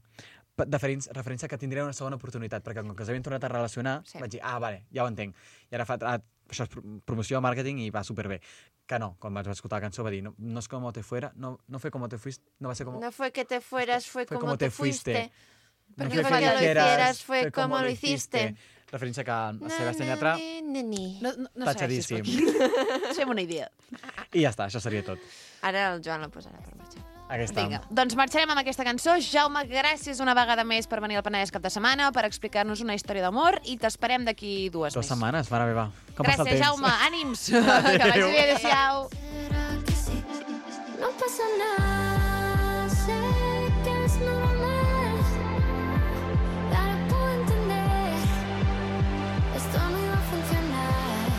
Pe- Deferents, referència que tindria una segona oportunitat, perquè com que s'havien tornat a relacionar, Sí. vaig dir, ah, vale, ja ho entenc. I ara fa, ah, això és pro- promoció, màrqueting i va superbé. Que no, quan vaig escoltar la cançó va dir, no, no és como te fuera, no, no fue como te fuiste, no va ser como... No fue que te fueras, fue, Fue como, te fuiste. No Porque fue fue que lo quieras, hicieras, fue como lo hiciste. Referència que el Na, Sebastián na, Yatra... ni, ni, ni. No, no, no Tatxadíssim. segueixis per aquí. Fem una idea. I ja està, això seria tot. Ara el Joan la posarà per marxar. Aquesta. Vinga, doncs marxarem amb aquesta cançó. Jaume, gràcies una vegada més per venir al Penedès cap de setmana, per explicar-nos una història d'amor i t'esperem d'aquí dues Dues més. setmanes, mare meva. Com passa el Gràcies, temps? Jaume. Ànims. Que vagi bé. Adéu-siau. ¿Será que sí? No pasa nada, sé que es normal. Y ahora puedo entender, esto no iba a funcionar.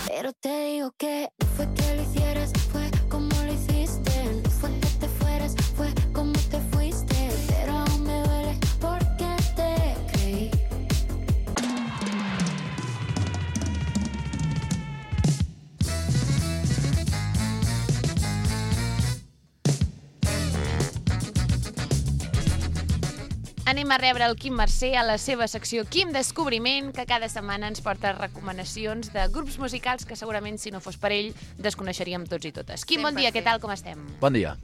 Pero te digo que no fue que lo hicieras, fue como lo hiciste. No fue que te fueras, fue como te fuiste. Pero aún me duele porque te creí. Anem a rebre el Quim Mercè a la seva secció Quim Descobriment, que cada setmana ens porta recomanacions de grups musicals que segurament, si no fos per ell, desconeixeríem tots i totes. Quim, bon Sempre dia, sí. què tal, com estem? Bon dia.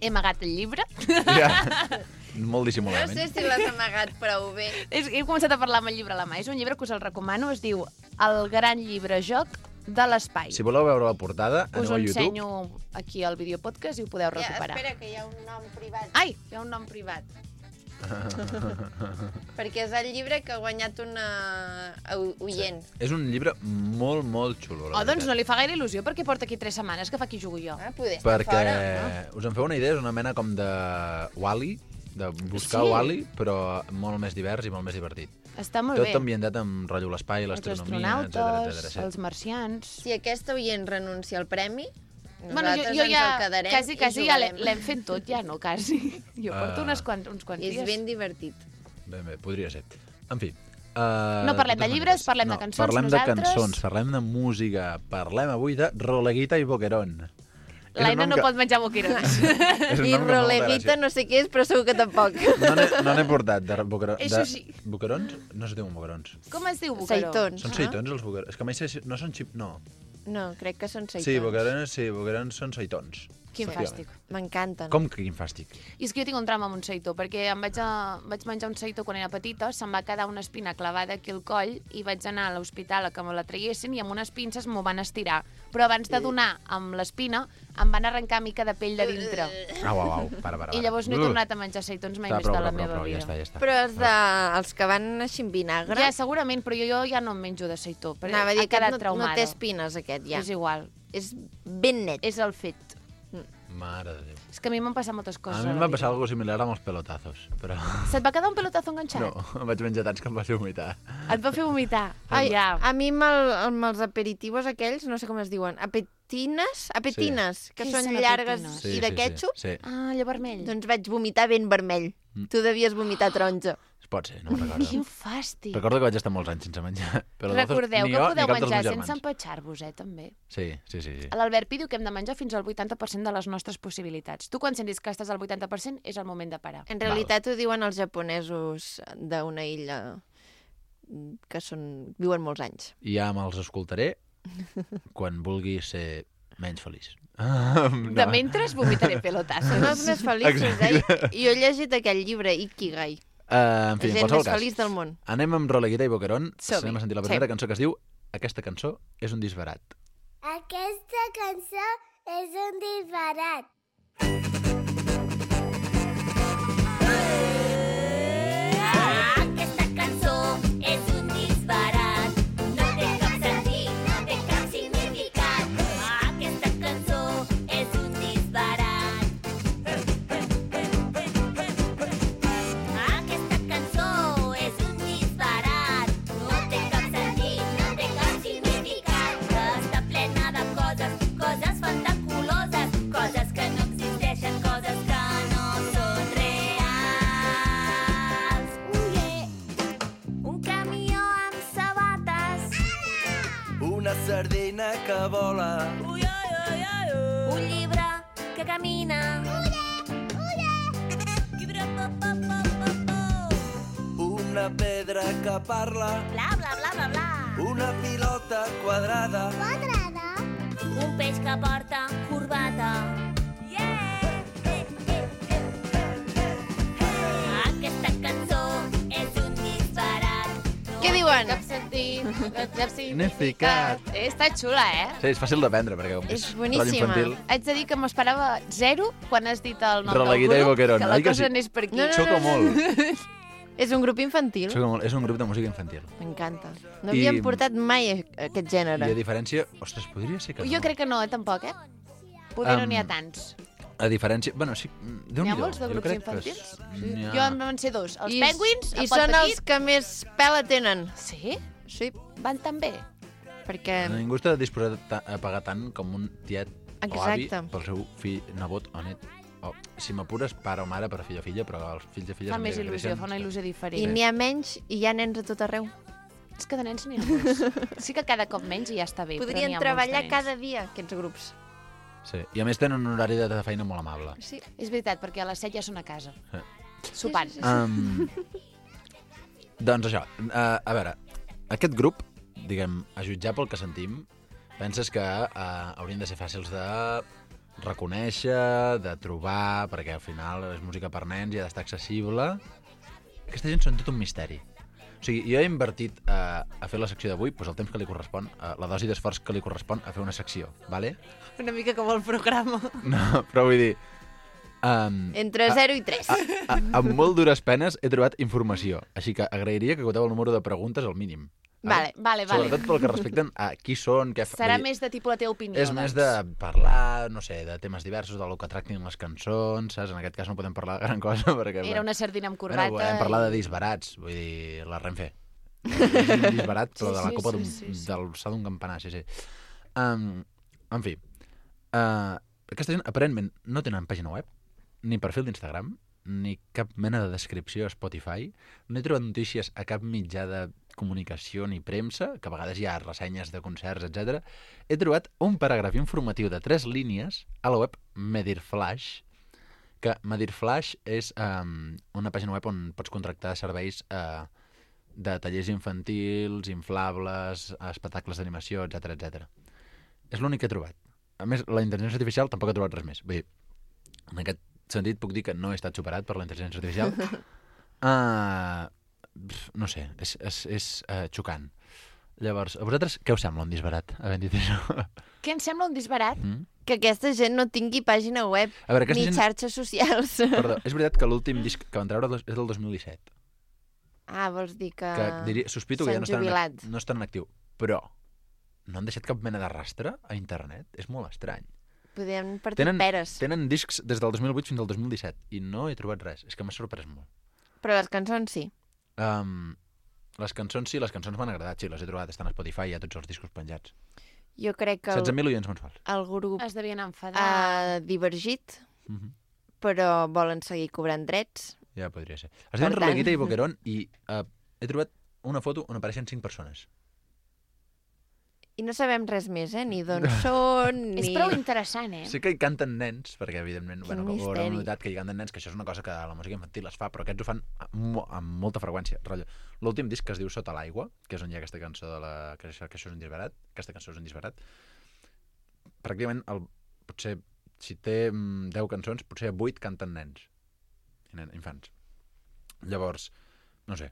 He amagat el llibre. Ja. Molt No dissimuladament. sé si l'has amagat prou bé. És- He començat a parlar amb el llibre a la mà. És un llibre que us el recomano, es diu El gran llibre joc de l'espai. Si voleu veure la portada, Us aneu ho a YouTube. ensenyo aquí al videopodcast i ho podeu Ja, recuperar. espera, que hi ha un nom privat. Ai, hi ha un nom privat. Perquè és el llibre que ha guanyat una au- oient. És un llibre molt, molt xulo. la Oh, doncs veritat. no li fa gaire il·lusió perquè porta aquí tres setmanes que fa aquí jugo jo. Ah, poder estar Perquè, fora, no? us en feu una idea, és una mena com de Wall-E, de buscar Sí. Wall-E, però molt més divers i molt més divertit. Està molt Tot bé. ambientat amb rotllo l'espai, Els l'astronomia, etcètera, astronautes, etcètera. els marcians... Si aquesta oient renuncia al premi, Bueno, nosaltres jo, jo ens ja, el quedarem quasi, i quasi ja l'he- jugarem. l'hem fet tot, ja no, quasi. Jo porto Ah. unes quant, uns quants És dies. ben divertit. Ben bé, podria ser. En fi. Uh, No parlem de totes llibres, maneres. parlem de no, cançons, Parlem nosaltres. de cançons, parlem de música, parlem avui de Roleguita i Boquerón. És un L'Aina nom no que- pot menjar boquirons. és un I nom que fa molta Rolevita gràcia. no sé què és, però segur que tampoc. No n'he no n'he portat de boquerons. Això de... sí. Boquerons? No se diuen boquerons. Com es diu boqueró? Seitons. Són Ah. seitons els boquerons. És que mai sé si... No són xip... No. No, crec que són seitons. Sí, boquerons, sí, boquerons són seitons. Quin fàstic. M'encanten. Com que quin fàstic? I és que jo tinc un trauma amb un seitó, perquè em vaig, a, vaig menjar un seitó quan era petita, se'm va quedar una espina clavada aquí al coll i vaig anar a l'hospital a que me la traiessin i amb unes pinces m'ho van estirar. Però abans de donar amb l'espina, em van arrencar mica de pell de dintre. Au, au, au, para, para. I llavors no he Uh. tornat a menjar seitons mai Està, més prou, de la prou, meva prou, vida. Ja està, ja està. Però els, de, els que van així amb vinagre... Ja, segurament, però jo, jo ja no em menjo de seitó. Perquè Anava a dir ha que quedat no, traumada. no té espines, aquest, ja. És igual. És ben net. És el fet. Mare de Déu. És que a mi m'han passat moltes A coses. mi a em la va passar vida. alguna similar amb els pelotazos, però... Se't va quedar un pelotazo enganxat? No, em vaig menjar tants que em va fer vomitar. Et va fer vomitar? Ai, ja. a mi amb, el, amb els aperitivos aquells, no sé com es diuen, apetines, apetines, que Què són són llargues apetines? i de ketchup, Sí, sí. Ah, allò vermell. doncs vaig vomitar ben vermell. Mm. Tu devies vomitar taronja. Es pot ser, no me'n recordo. Quin fàstic. Recordo que vaig estar molts anys sense menjar pelotazos. Recordeu ni que jo, ni podeu cap dels menjar meus sense germans. empatxar-vos, eh, també. Sí, sí, sí. sí. L'Albert Pi diu que hem de menjar fins al vuitanta per cent de les nostres possibilitats. Tu, quan sentis que estàs al vuitanta per cent, és el moment de parar. En realitat ho diuen els japonesos d'una illa que són, viuen molts anys. I ja me'ls escoltaré quan vulgui ser menys feliç. No. De mentre vomitaré pelotassos. Són els més feliços, eh? Jo he llegit aquell llibre, Ikigai. Uh, en fi, La en gent qualsevol més cas. feliç del món. Anem amb Roleguita i Boquerón. Som-hi. Anem a sentir la Sí. primera cançó que es diu Aquesta cançó és un disbarat. Aquesta cançó és un disbarat. Aquesta cançó és un disbarat. No té cap sentit, no té cap significat. Aquesta cançó és un disbarat. Aquesta cançó és un disbarat. No té cap sentit, no té cap significat. Està plena de coses, coses fantaculoses, coses que no existeixen, coses que no són reals. Un camió amb sabates. Una sardina que vola. Un llibre que camina. Una pedra que parla. Bla, bla, bla, bla, bla. Una pilota quadrada. Quadrada. Un peix que porta corbata. Aquesta cançó és un disbarat. Què diuen? Cap sentit, cap Significat. significat. Eh, està xula, eh? Sí, és fàcil d'aprendre, perquè com que És és boníssima. ràdio infantil... Haig de dir que m'esperava zero quan has dit el nom Roleguita del i grup, Boquerón, que la oi que cosa sí? anés per aquí. No, no, Xoco molt. És un grup infantil. Xoco molt. És un grup de música infantil. M'encanta. No I- havien portat mai a- aquest I gènere. a diferència... Ostres, podria ser que no. Jo crec que no, eh, tampoc, eh? Poder no Em, n'hi ha tants. A diferència... Bueno, sí, déu N'hi ha nhi molts de grups infantils? Sí. Jo en van ser dos. Els I, Penguins, I el Pot són els Petit... que més pela tenen. Sí? Sí, Van tan bé? perquè... Ningú està disposat a, a pagar tant com un tiet o avi Exacte. pel seu fill, nebot o net. O, si m'apures, pare o mare per fill o filla, però els fills i filles... Fa a més mesura que il·lusió, creixen, fa una il·lusió I diferent. n'hi ha menys i hi ha nens a tot arreu. És que de nens n'hi ha molts. Sí que cada cop menys i ja està bé, però Podrien n'hi ha molts treballar de nens. cada dia, aquests grups. Sí. I a més tenen un horari de feina molt amable. Sí. És veritat, perquè a les set ja són a casa. Sí. Sopant. Um, doncs això, uh, a veure, aquest grup, diguem, a jutjar pel que sentim, penses que uh, haurien de ser fàcils de reconèixer, de trobar, perquè al final és música per nens i ha d'estar accessible. Aquesta gent són tot un misteri. O sigui, jo he invertit uh, a fer la secció d'avui doncs el temps que li correspon, uh, la dosi d'esforç que li correspon a fer una secció, vale? Una mica com el programa. No, però vull dir... Um, Entre zero i tres. a, a, amb molt dures penes he trobat informació, així que agrairia que acoteu el número de preguntes al mínim. Vale, Vale, vale. Sobretot pel que respecten a qui són, què fa... Serà vull dir, més de tipus la teva opinió, És més de doncs. parlar, no sé, de temes diversos, del que tractin les cançons, saps? En aquest cas no podem parlar de gran cosa, perquè... Era una sardina amb Bueno, corbata. podem parlar de i- disbarats, vull dir, la Renfe. És un disbarat, però Sí, de la sí, copa sí, d'un, sí, sí. de l'alçada d'un campanar, sí, sí. Um, en fi, uh, aquesta gent aparentment no tenen pàgina web, ni perfil d'Instagram, ni cap mena de descripció a Spotify. No he trobat notícies a cap mitjà de comunicació ni premsa, que a vegades hi ha ressenyes de concerts, etcètera. He trobat un paràgraf informatiu de tres línies a la web Medirflash, que Medirflash és um, una pàgina web on pots contractar serveis uh, de tallers infantils, inflables, espectacles d'animació, etcètera, etcètera. És l'únic que he trobat. A més, la intel·ligència artificial tampoc he trobat res més. Vull dir, en aquest sentit puc dir que no he estat superat per la intel·ligència artificial. Uh, no sé, és, és, és uh, xocant. Llavors, a vosaltres què us sembla un disbarat, havent dit això? Què em sembla un disbarat? Mm? Que aquesta gent no tingui pàgina web A veure, aquesta ni gent... xarxes socials. Perdó, és veritat que l'últim disc que van treure dos- és del dos mil disset. Ah, vols dir que... Que diria, sospito que ja s'han no estan, en, jubilat. ac- no estan en actiu. Però no han deixat cap mena de rastre a internet? És molt estrany. Podem partir Tenen, peres. tenen discs des del dos mil vuit fins al dos mil disset i no he trobat res. És que m'ha sorprès molt. Però les cançons sí. Um, les cançons sí, les cançons m'han agradat, sí, les he trobat, estan a Spotify, hi ha tots els discos penjats. Jo crec que setze el, mil oients mensuals. el grup Es devien enfadar. ha divergit, Uh -huh. però volen seguir cobrant drets. Ja podria ser. Es diuen Per tant- Roleguita i Boquerón i uh, he trobat una foto on apareixen cinc persones. I no sabem res més, eh? Ni d'on són, ni... És prou interessant, eh? Sí que hi canten nens, perquè evidentment, Quin bueno, ho haurem misteri. notat que hi canten nens, que això és una cosa que la música infantil es fa, però aquests ho fan amb, mo- amb molta freqüència. Rotllo. L'últim disc que es diu Sota l'aigua, que és on hi ha aquesta cançó de la... que això, que això és un disbarat, aquesta cançó és un disbarat, pràcticament, el... potser, si té mm, deu cançons, potser vuit canten nens, i nen, infants. Llavors, no sé,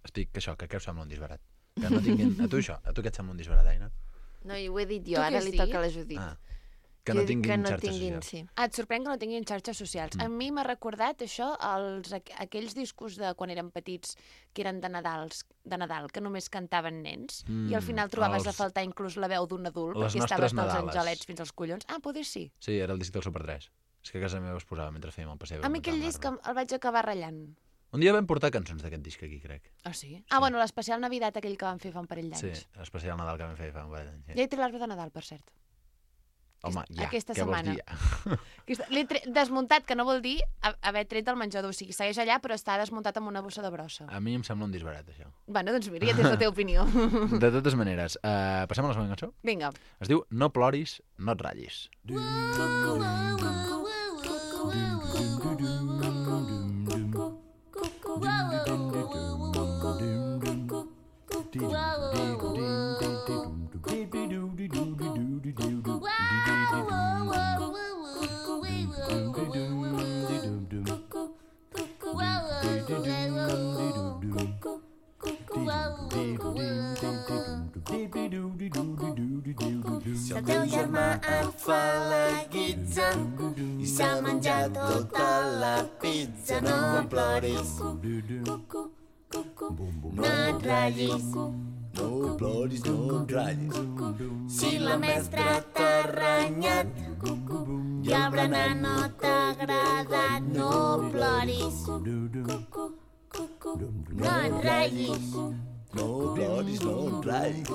estic que això, que què us sembla un disbarat? Que no tinguin... A tu això, a tu què et sembla un disbarat, Aina? No, i ho he dit Tu jo, què ara has li dit? toca a la Judit. Ah, que Jo no he dit tinguin que no xarxes tinguin, socials. sí. Ah, et sorprèn que no tinguin xarxes socials. A mi m'ha recordat això, els, aqu- aquells discos de quan érem petits que eren de Nadals, de Nadal, que només cantaven nens, Mm, i al final trobaves els- a faltar inclús la veu d'un adult, Les perquè nostres estaves dels Nadales. angelets fins als collons. Ah, poder sí. Sí, era el disc del Super tres. És que a casa meva es posava mentre fèiem el passeig. A mi aquell disc em- el vaig acabar ratllant. Un dia vam portar cançons d'aquest disc aquí, crec. Ah, sí? Ah, bueno, l'especial Navidad aquell que vam fer fa un parell Sí, d'anys. especial Nadal que vam fer fa un parell d'anys. Ja he tret l'arbre de Nadal, per cert. Home, ja, aquesta què setmana. vols dir? Aquesta- L'he tre- desmuntat, que no vol dir ha- haver tret del menjador. O sigui, segueix allà, però està desmuntat amb una bossa de brossa. A mi em sembla un disbarat, això. Bueno, doncs mira, ja tens la teva opinió. De totes maneres, uh, passem a la següent cançó. Vinga. Es diu No ploris, no et ratllis. Si el teu germà et fa la guitza i s'ha menjat tota la pizza, no ploris, no et ratllis, no ploris, no et ratllis. Si la mestra t'ha renyat i el berenar no t'ha agradat, no ploris, no et ratllis. No ploris, no et ratllis.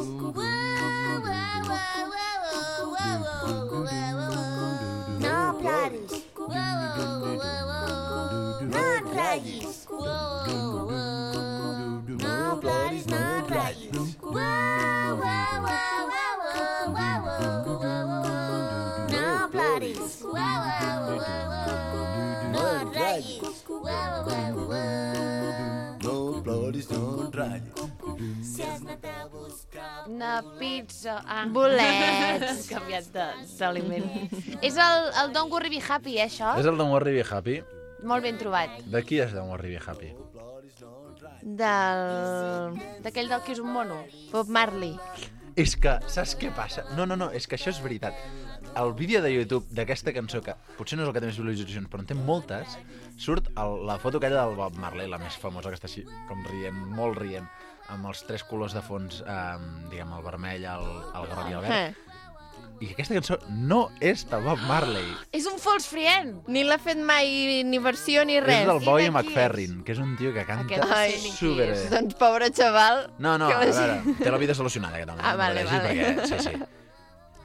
No ploris, no et ratllis. No ploris, no et ratllis. No ploris, no et ratllis. No ploris, no et ratllis. Si has anat a buscar... Una pizza... Ah. Bolets. Hem canviat de- d'aliment. És el, el Don't Worry Be Happy, eh, això? És el Don't Worry Be Happy. Molt ben trobat. De qui és Don't Worry Be Happy? Del... D'aquell del que és un mono. Bob Marley. És que, saps què passa? No, no, no, és que això és veritat. El vídeo de YouTube d'aquesta cançó, que potser no és el que té més visualitzacions, però en té moltes, surt el, la foto aquella del Bob Marley, la més famosa, que està així, com rient, molt rient, amb els tres colors de fons, eh, diguem, el vermell, el, el groc i el verd. Eh. I aquesta cançó no és del Bob Marley. És un false friend. Ni l'ha fet mai ni versió ni res. És del I Boy de qui McFerrin, que és un tio que canta Aquest no sé ni qui super... és. Doncs pobre xaval. No, no, que a la veure, gent- té la vida solucionada, aquest home. Ah, no vale, pateixis, vale. Perquè, sí, sí.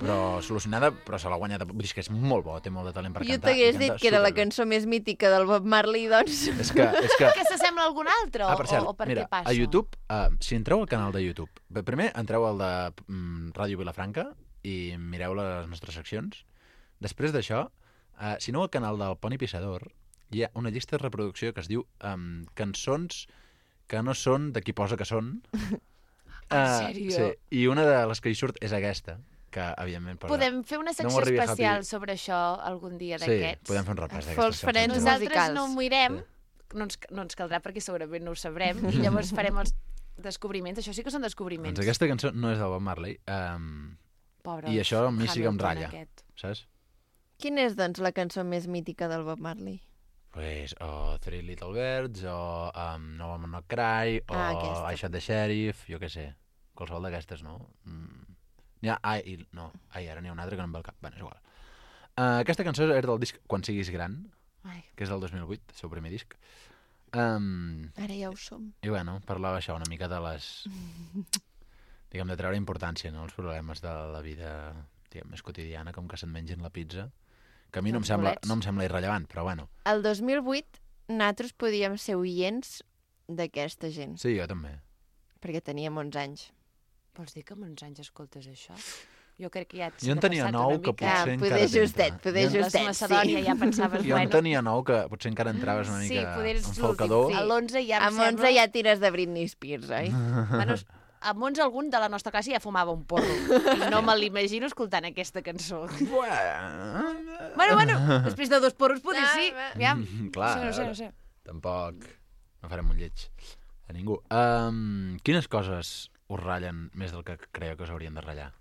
Però solucionada, però se l'ha guanyat. Vull dir és que és molt bo, té molt de talent per Jo cantar. t'hagués i dit canta que era la superbé. cançó més mítica del Bob Marley, doncs... És que, és que... Que s'assembla a algun altre? Ah, per cert, o, o per mira, què passa? a YouTube, uh, si entreu al canal de YouTube, bé, primer entreu al de mm, Ràdio Vilafranca i mireu les nostres seccions. Després d'això, uh, si no al canal del Poni Pissador, hi ha una llista de reproducció que es diu um, cançons que no són de qui posa que són. En Uh, sèrio? sí, i una de les que hi surt és aquesta, que evidentment... Posa... Podem fer una secció Don't Worry Be especial Happy. sobre això algun dia Sí, d'aquests? podem fer un repàs d'aquestes False friends cançons. Nosaltres musicals. no ho mirem, Sí. no, ens, no ens caldrà perquè segurament no ho sabrem, i llavors farem els descobriments. Això sí que són descobriments. Doncs aquesta cançó no és del Bob Marley, um, Pobre i això a mi sí que em Hamilton ratlla, aquest. saps? Quina és, doncs, la cançó més mítica del Bob Marley? Pues, o Three Little Birds, o um, No Woman No Cry, o Ah, aquesta. I Shot the Sheriff, jo què sé. Qualsevol d'aquestes, no? Mm. N'hi ha... Ai, i, no, ai, ara n'hi ha una altra que no em ve al cap. Bé, és igual. Uh, aquesta cançó era del disc Quan siguis gran, Ai. que és del dos mil vuit, el seu primer disc. Um, Ara ja ho som. I bueno, parlava això una mica de les... diguem, de treure importància, no?, els problemes de la vida, diguem, més quotidiana, com que se'n mengin la pizza, que a mi no em, Els sembla, bolets. no em sembla irrellevant, però bueno. El dos mil vuit nosaltres podíem ser oients d'aquesta gent, Sí, jo també. perquè teníem onze anys. Vols dir que amb uns anys escoltes això? Jo crec que ja ets Jo en tenia nou que potser Ah, encara poder justet, t'entra. poder Jo en- justet, Les Macedònia sí. ja pensaves, Jo en bueno... tenia nou que potser encara entraves una Sí, mica poder és en falcador. l'últim, sí. A l'onze ja em Amb onze sembla... ja tires de Britney Spears, oi? Bueno, amb onze algun de la nostra classe ja fumava un porro. I no me l'imagino escoltant aquesta cançó. Bueno, Bueno, bueno, després de dos porros potser Ah, sí. va. Aviam. clar, No sé, no sé, a no veure, sé. tampoc no farem un lleig a ningú. Um, quines coses us ratllen més del que creieu que us haurien de ratllar?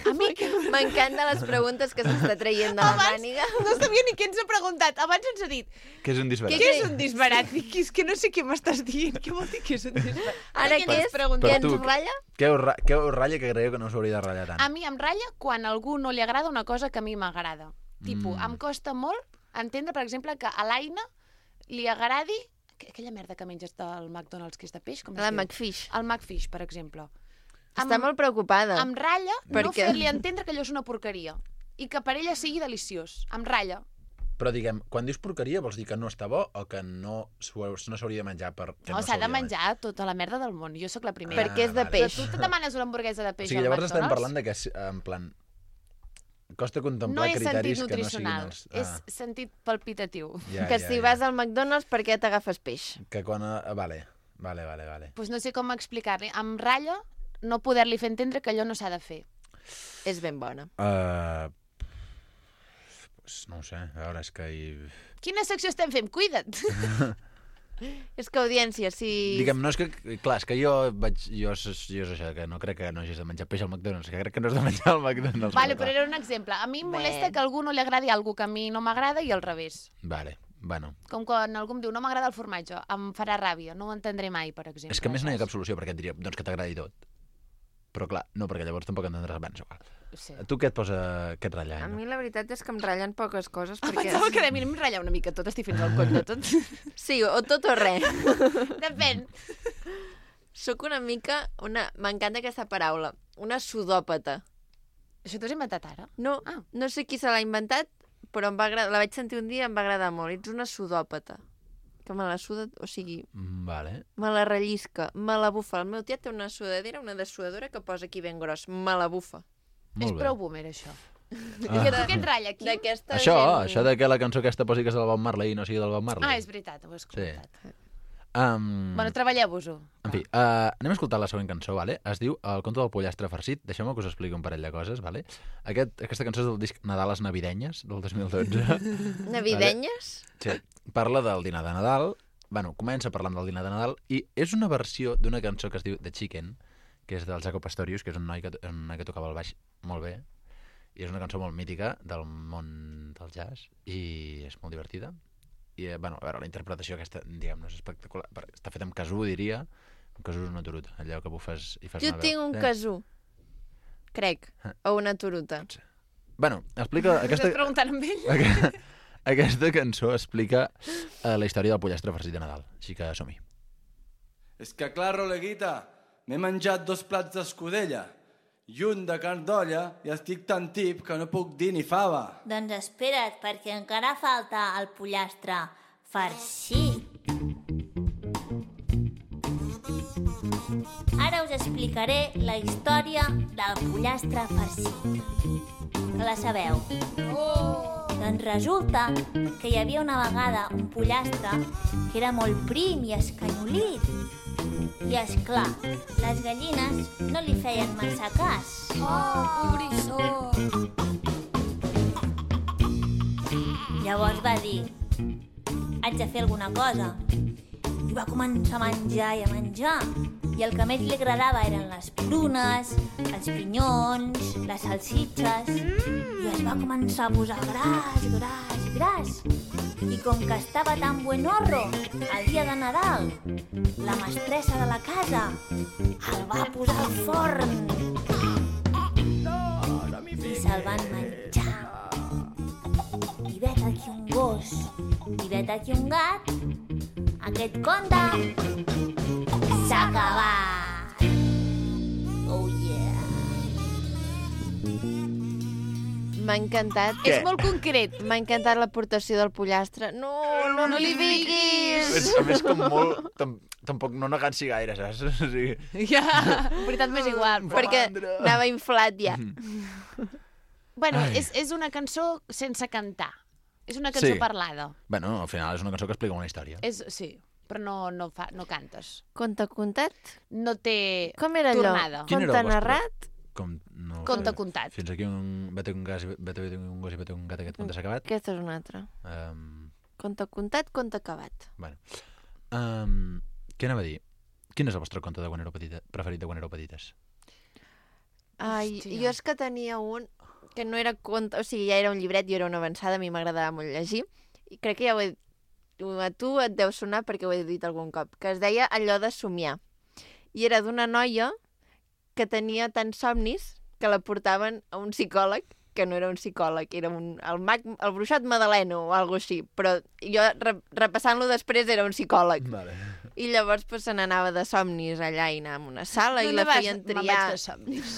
A mi que... M'encanten les preguntes que s'està traient de la Abans màniga. no sabia ni què ens ha preguntat. Abans ens ha dit, Què és un disbarat? què és un disbarat? Dic, és que no sé què m'estàs dient. Què vol dir que és un disbarat? Ara què què ens és? pregunta? Què Per tu, ens ratlla? Què us, ra què us ratlla que creieu que no us hauria de ratllar tant? A mi em ratlla quan a algú no li agrada una cosa que a mi m'agrada. Tipo, Mm. em costa molt entendre, per exemple, que a l'Aina li agradi aqu- aquella merda que menges del McDonald's, que és de peix, com es La diu? McFish. El McFish, per exemple. Està Em- molt preocupada. Em ratlla Per no què? fer-li entendre que allò és una porqueria i que per ella sigui deliciós. Em ratlla. Però diguem, quan dius porqueria vols dir que no està bo o que no s'ho- no s'hauria de menjar per... Que No, no s'ha de s'hauria menjar tota la merda del món. Jo sóc la primera. Perquè és de vale. peix. Tu te demanes una hamburguesa de O peix sigui, al llavors estem McDonald's? parlant de que, en plan, costa No contemplar és sentit criteris que no siguin nutricional, els... és sentit palpitatiu. ja, Que ja, si ja. vas al McDonald's, per què t'agafes peix? Que quan... eh, Vale, vale, vale, vale. Pues no sé com explicar-li. Em ratlla no poder-li fer entendre que allò no s'ha de fer. És ben bona. Uh, pues no ho sé, a veure, és que... Hi... Quina secció estem fent? Cuida't! És que, audiència, si... Diguem, no és que... Clar, és que jo vaig... Jo, és- jo és això, que no crec que no hagis de menjar peix al McDonald's, que crec que no has de menjar al McDonald's. Vale, clar. però era un exemple. A mi em molesta Bé. que a algú no li agradi alguna que a mi no m'agrada i al revés. Vale, bueno. Com quan algú em diu no m'agrada el formatge, em farà ràbia, no ho entendré mai, per exemple. És que a més no hi ha cap saps? solució, perquè et diria, doncs que t'agradi tot. Però clar, no, perquè llavors tampoc entendràs abans. Igual. Sí. A tu què et posa... què et ratlla? A no? mi la veritat és que em ratllen poques coses, perquè... Pensava que a mi em ratlla una mica tot, estic fins al coll de tot. Sí, o tot o res. Depèn. Sóc una mica... una. M'encanta aquesta paraula. Una sudòpata. Això t'ho has inventat ara? No, Ah. no sé qui se l'ha inventat, però em va agradar, la vaig sentir un dia i em va agradar molt. Ets una sudòpata. Que me la suda, o sigui, Mm, Vale. me la rellisca, me la bufa. El meu tiet té una sudadera, una dessuadora que posa aquí ben gros. Me la bufa. És Molt bé. prou boomer, això. Ah. I a tu què et ratlla aquí? D'aquesta Això, gent... això de que la cançó aquesta posi que és del Bob Marley i no sigui del Bob Marley. Ah, és veritat, ho has comentat. Um, Bueno, treballeu-vos-ho. En fi, uh, anem a escoltar la següent cançó, vale? Es diu El conte del pollastre farcit. Deixeu-me que us expliqui un parell de coses, vale? Aquest, aquesta cançó és del disc Nadales Navidenyes, del dos mil dotze. Navidenyes? Sí, parla del dinar de Nadal. Bueno, comença parlant del dinar de Nadal i és una versió d'una cançó que es diu The Chicken, que és del Jaco Pastorius, que és un noi que, un noi que tocava el baix molt bé. I és una cançó molt mítica del món del jazz i és molt divertida. I, eh, bueno, a veure, la interpretació aquesta, diguem, no és espectacular. perquè Està feta amb casú, diria. Un casú és una turuta, allò que bufes i fas Jo una tinc veu. un Eh, casú, crec, o una turuta. Bueno, explica... Aquesta... Aquesta, Estàs preguntant amb ell? Aquesta, aquesta cançó explica uh, la història del pollastre farcit de Nadal. Així que som-hi. És que, clar, Roleguita, m'he menjat dos plats d'escudella i un de carn d'olla i estic tan tip que no puc dir ni fava. Doncs espera't, perquè encara falta el pollastre farcit. Ara us explicaré la història del pollastre farcit. Que la sabeu? Oh! Doncs resulta que hi havia una vegada un pollastre que era molt prim i escanyolit. I, esclar, les gallines no li feien massa cas. Oh, pobrissó. Llavors va dir, haig de fer alguna cosa. I va començar a menjar i a menjar. I el que més li agradava eren les prunes, els pinyons, les salsitxes. I es va començar a posar gras, gras, gras. I com que estava tan buenorro, el dia de Nadal, la mestressa de la casa el va posar al forn. I se'l van menjar. I vet aquí un gos, i vet aquí un gat, aquest conte s'ha acabat. Oh yeah. M'ha encantat. És molt concret. M'ha encantat l'aportació del pollastre. No, no, No li li fiquis! És, a més, com molt... Tam, tampoc no negant-s'hi gaire, saps? O sigui... Ja, en veritat m'és igual. Però... Perquè anava inflat ja. Bueno, Ai. és, és una cançó sense cantar. És una cançó Sí. parlada. Bueno, al final és una cançó que explica una història. És, sí, però no, no, fa, no cantes. Conte contat? No té Com era allò? tornada. Quin era Conte el vostre? narrat? Com, no, Conte sé. contat. Fins aquí un... Vete un gas, vete, vete un gos i vete un gat, aquest conte s'ha acabat. Aquesta és una altra. Um, Conte contat, conte acabat. bueno. Um, què anava a dir? Quin és el vostre conte de quan éreu petita, preferit de quan éreu petites? Ai, Hòstia. jo és que tenia un que no era conte, o sigui, ja era un llibret, jo era una avançada, a mi m'agradava molt llegir, i crec que ja ho he a tu et deu sonar perquè ho he dit algun cop, que es deia Allò de somiar. I era d'una noia que tenia tants somnis que la portaven a un psicòleg, que no era un psicòleg, era un, el, mag, el bruixot Madaleno o alguna així, però jo re, repassant-lo després era un psicòleg. Vale. I llavors pues, se n'anava de somnis allà i anava a una sala i la feien Me'n triar. vaig de somnis.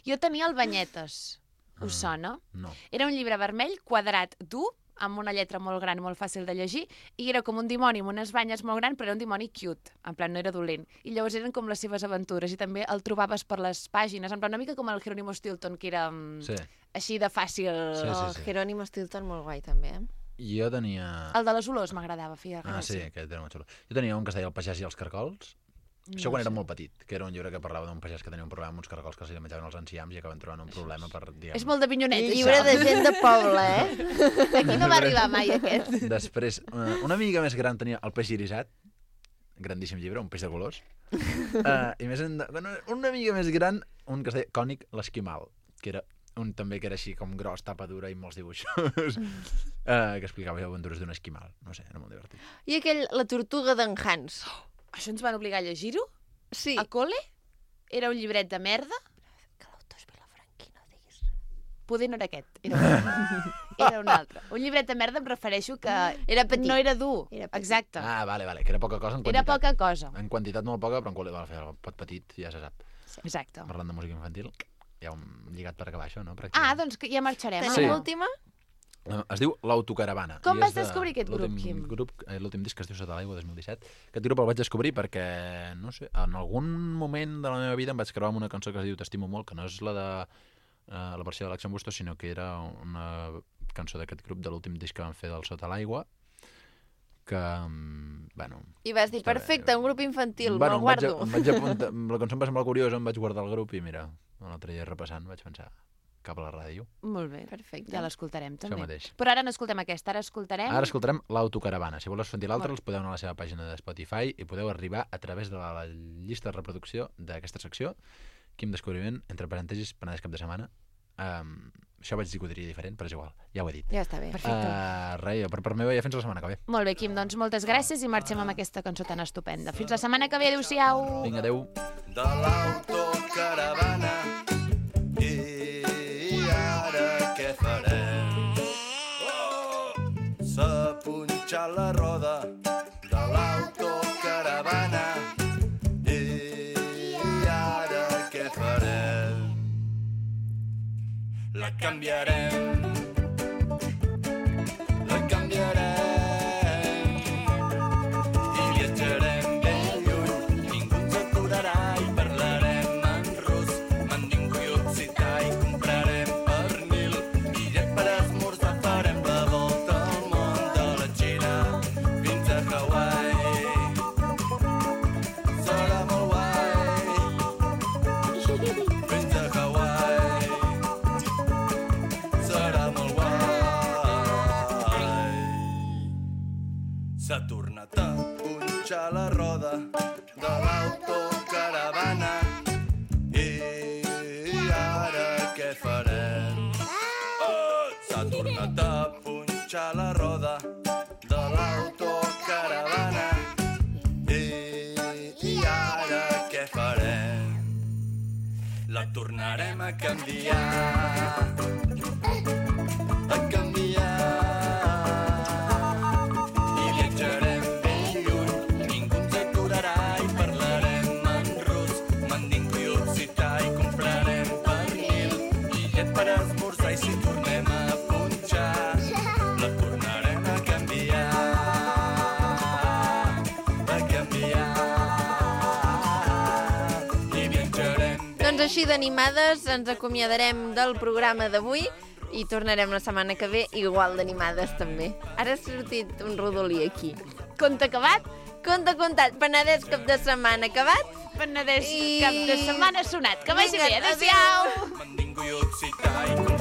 Jo tenia el Banyetes. Us sona? No. Era un llibre vermell, quadrat, dur, amb una lletra molt gran, molt fàcil de llegir, i era com un dimoni amb unes banyes molt grans, però era un dimoni cute, en plan no era dolent. I llavors eren com les seves aventures, i també el trobaves per les pàgines, en plan una mica com el Jerónimo Stilton, que era mm, Sí. així de fàcil. Sí, sí, Oh, sí. Jerónimo Stilton molt guai també, eh? Jo tenia... El de les olors m'agradava, feia Ah, sí, gràcia. aquest era molt xulo. Jo tenia un que es deia El pagès i els cargols. Això quan era molt petit, que era un llibre que parlava d'un pagès que tenia un problema amb uns cargols que se li menjaven els enciams i acaben trobant un problema per, diguem... És molt de pinyoneta, Llibre de gent de poble, eh? Aquí no va arribar mai aquest. Després, una, una mica més gran tenia El peix irisat, grandíssim llibre, un peix de colors. Uh, I més en, bueno, una mica més gran, un que es deia Cònic l'esquimal, que era un també que era així com gros, tapa dura i molts dibuixos, uh, que explicava les aventures d'un esquimal. No sé, era molt divertit. I aquell, La tortuga d'en Hans. Això ens van obligar a llegir-ho? Sí. A col·le? Era un llibret de merda? Que l'autor és Vilafranqui, no diguis. Poder no era aquest, era un, era un altre. Un llibret de merda em refereixo que Era petit. no era dur. Era petit. Exacte. Ah, vale, vale, que era poca cosa en Era quantitat. poca cosa. En quantitat molt poca, però en qualitat, vale, el pot petit, ja se sap. Exacte. Parlant de música infantil, ja ho hem lligat per acabar això, no? Ah, Pràcticament. doncs que ja marxarem. Tenim Sí. l'última? Eh, Es diu L'Autocaravana. Com i vas és de descobrir aquest grup, l'últim Quim? Grup, eh, l'últim disc que es diu Sota l'aigua, dos mil disset. Aquest grup el vaig descobrir perquè, no sé, en algun moment de la meva vida em vaig creuar amb una cançó que es diu T'estimo molt, que no és la de eh, la versió de l'Axel Bustos, sinó que era una cançó d'aquest grup de l'últim disc que van fer del Sota l'aigua, que, mm, bueno... I vas dir, està bé. perfecte, un grup infantil, bueno, me'l em vaig, guardo. em vaig apuntar, la cançó em va semblar curiosa, em vaig guardar el grup i mira, l'altre dia repassant vaig pensar cap a la ràdio. Molt bé. Perfecte. Ja l'escoltarem, també. mateix. Però ara no escoltem aquesta, ara escoltarem... Ara escoltarem L'Autocaravana. Si voleu sentir l'altre, els podeu anar a la seva pàgina de Spotify i podeu arribar a través de la, la llista de reproducció d'aquesta secció. Quim Descobriment, entre parèntesis, Penedès cap de setmana. Um, això vaig dir que ho diria diferent, però és igual, ja ho he dit. Ja està bé. Perfecte. Uh, res, per part meva ja fins la setmana que ve. Molt bé, Quim, doncs moltes gràcies i marxem amb aquesta cançó tan estupenda. Fins la setmana que ve, adéu-siau! Vinga, adéu. De l'autocaravana i ara què farem? Oh! S'ha punxat la roda de l'autocaravana i ara què farem? La canviarem, la canviarem i viatjarem ben lluny, ningú ens aturarà i parlarem en rus, mandingo i occità i comprarem pernil, bitllet per esmorzar, farem la volta al món de la Xina fins a Hawaii. Serà molt guai fins a Hawaii. Serà molt guai. S'ha tornat a punxar la roda de l'autocaravana i ara què farem? Oh! S'ha tornat a punxar la roda de l'autocaravana i ara què farem? La tornarem a canviar, a canviar. I viatjarem ben lluny, ningú ens aturarà i parlarem en rus, mandingo i occità i comprarem pernil, bitllet per esmorzar i si tornem a punxar, la tornarem així d'animades ens acomiadarem del programa d'avui i tornarem la setmana que ve igual d'animades també. Ara ha sortit un rodolí aquí. Conte acabat? Conte contat. Penedès cap de setmana acabat? Penedès I... cap de setmana sonat. Que vagi bé. Adéu-siau. Mandingo i occità i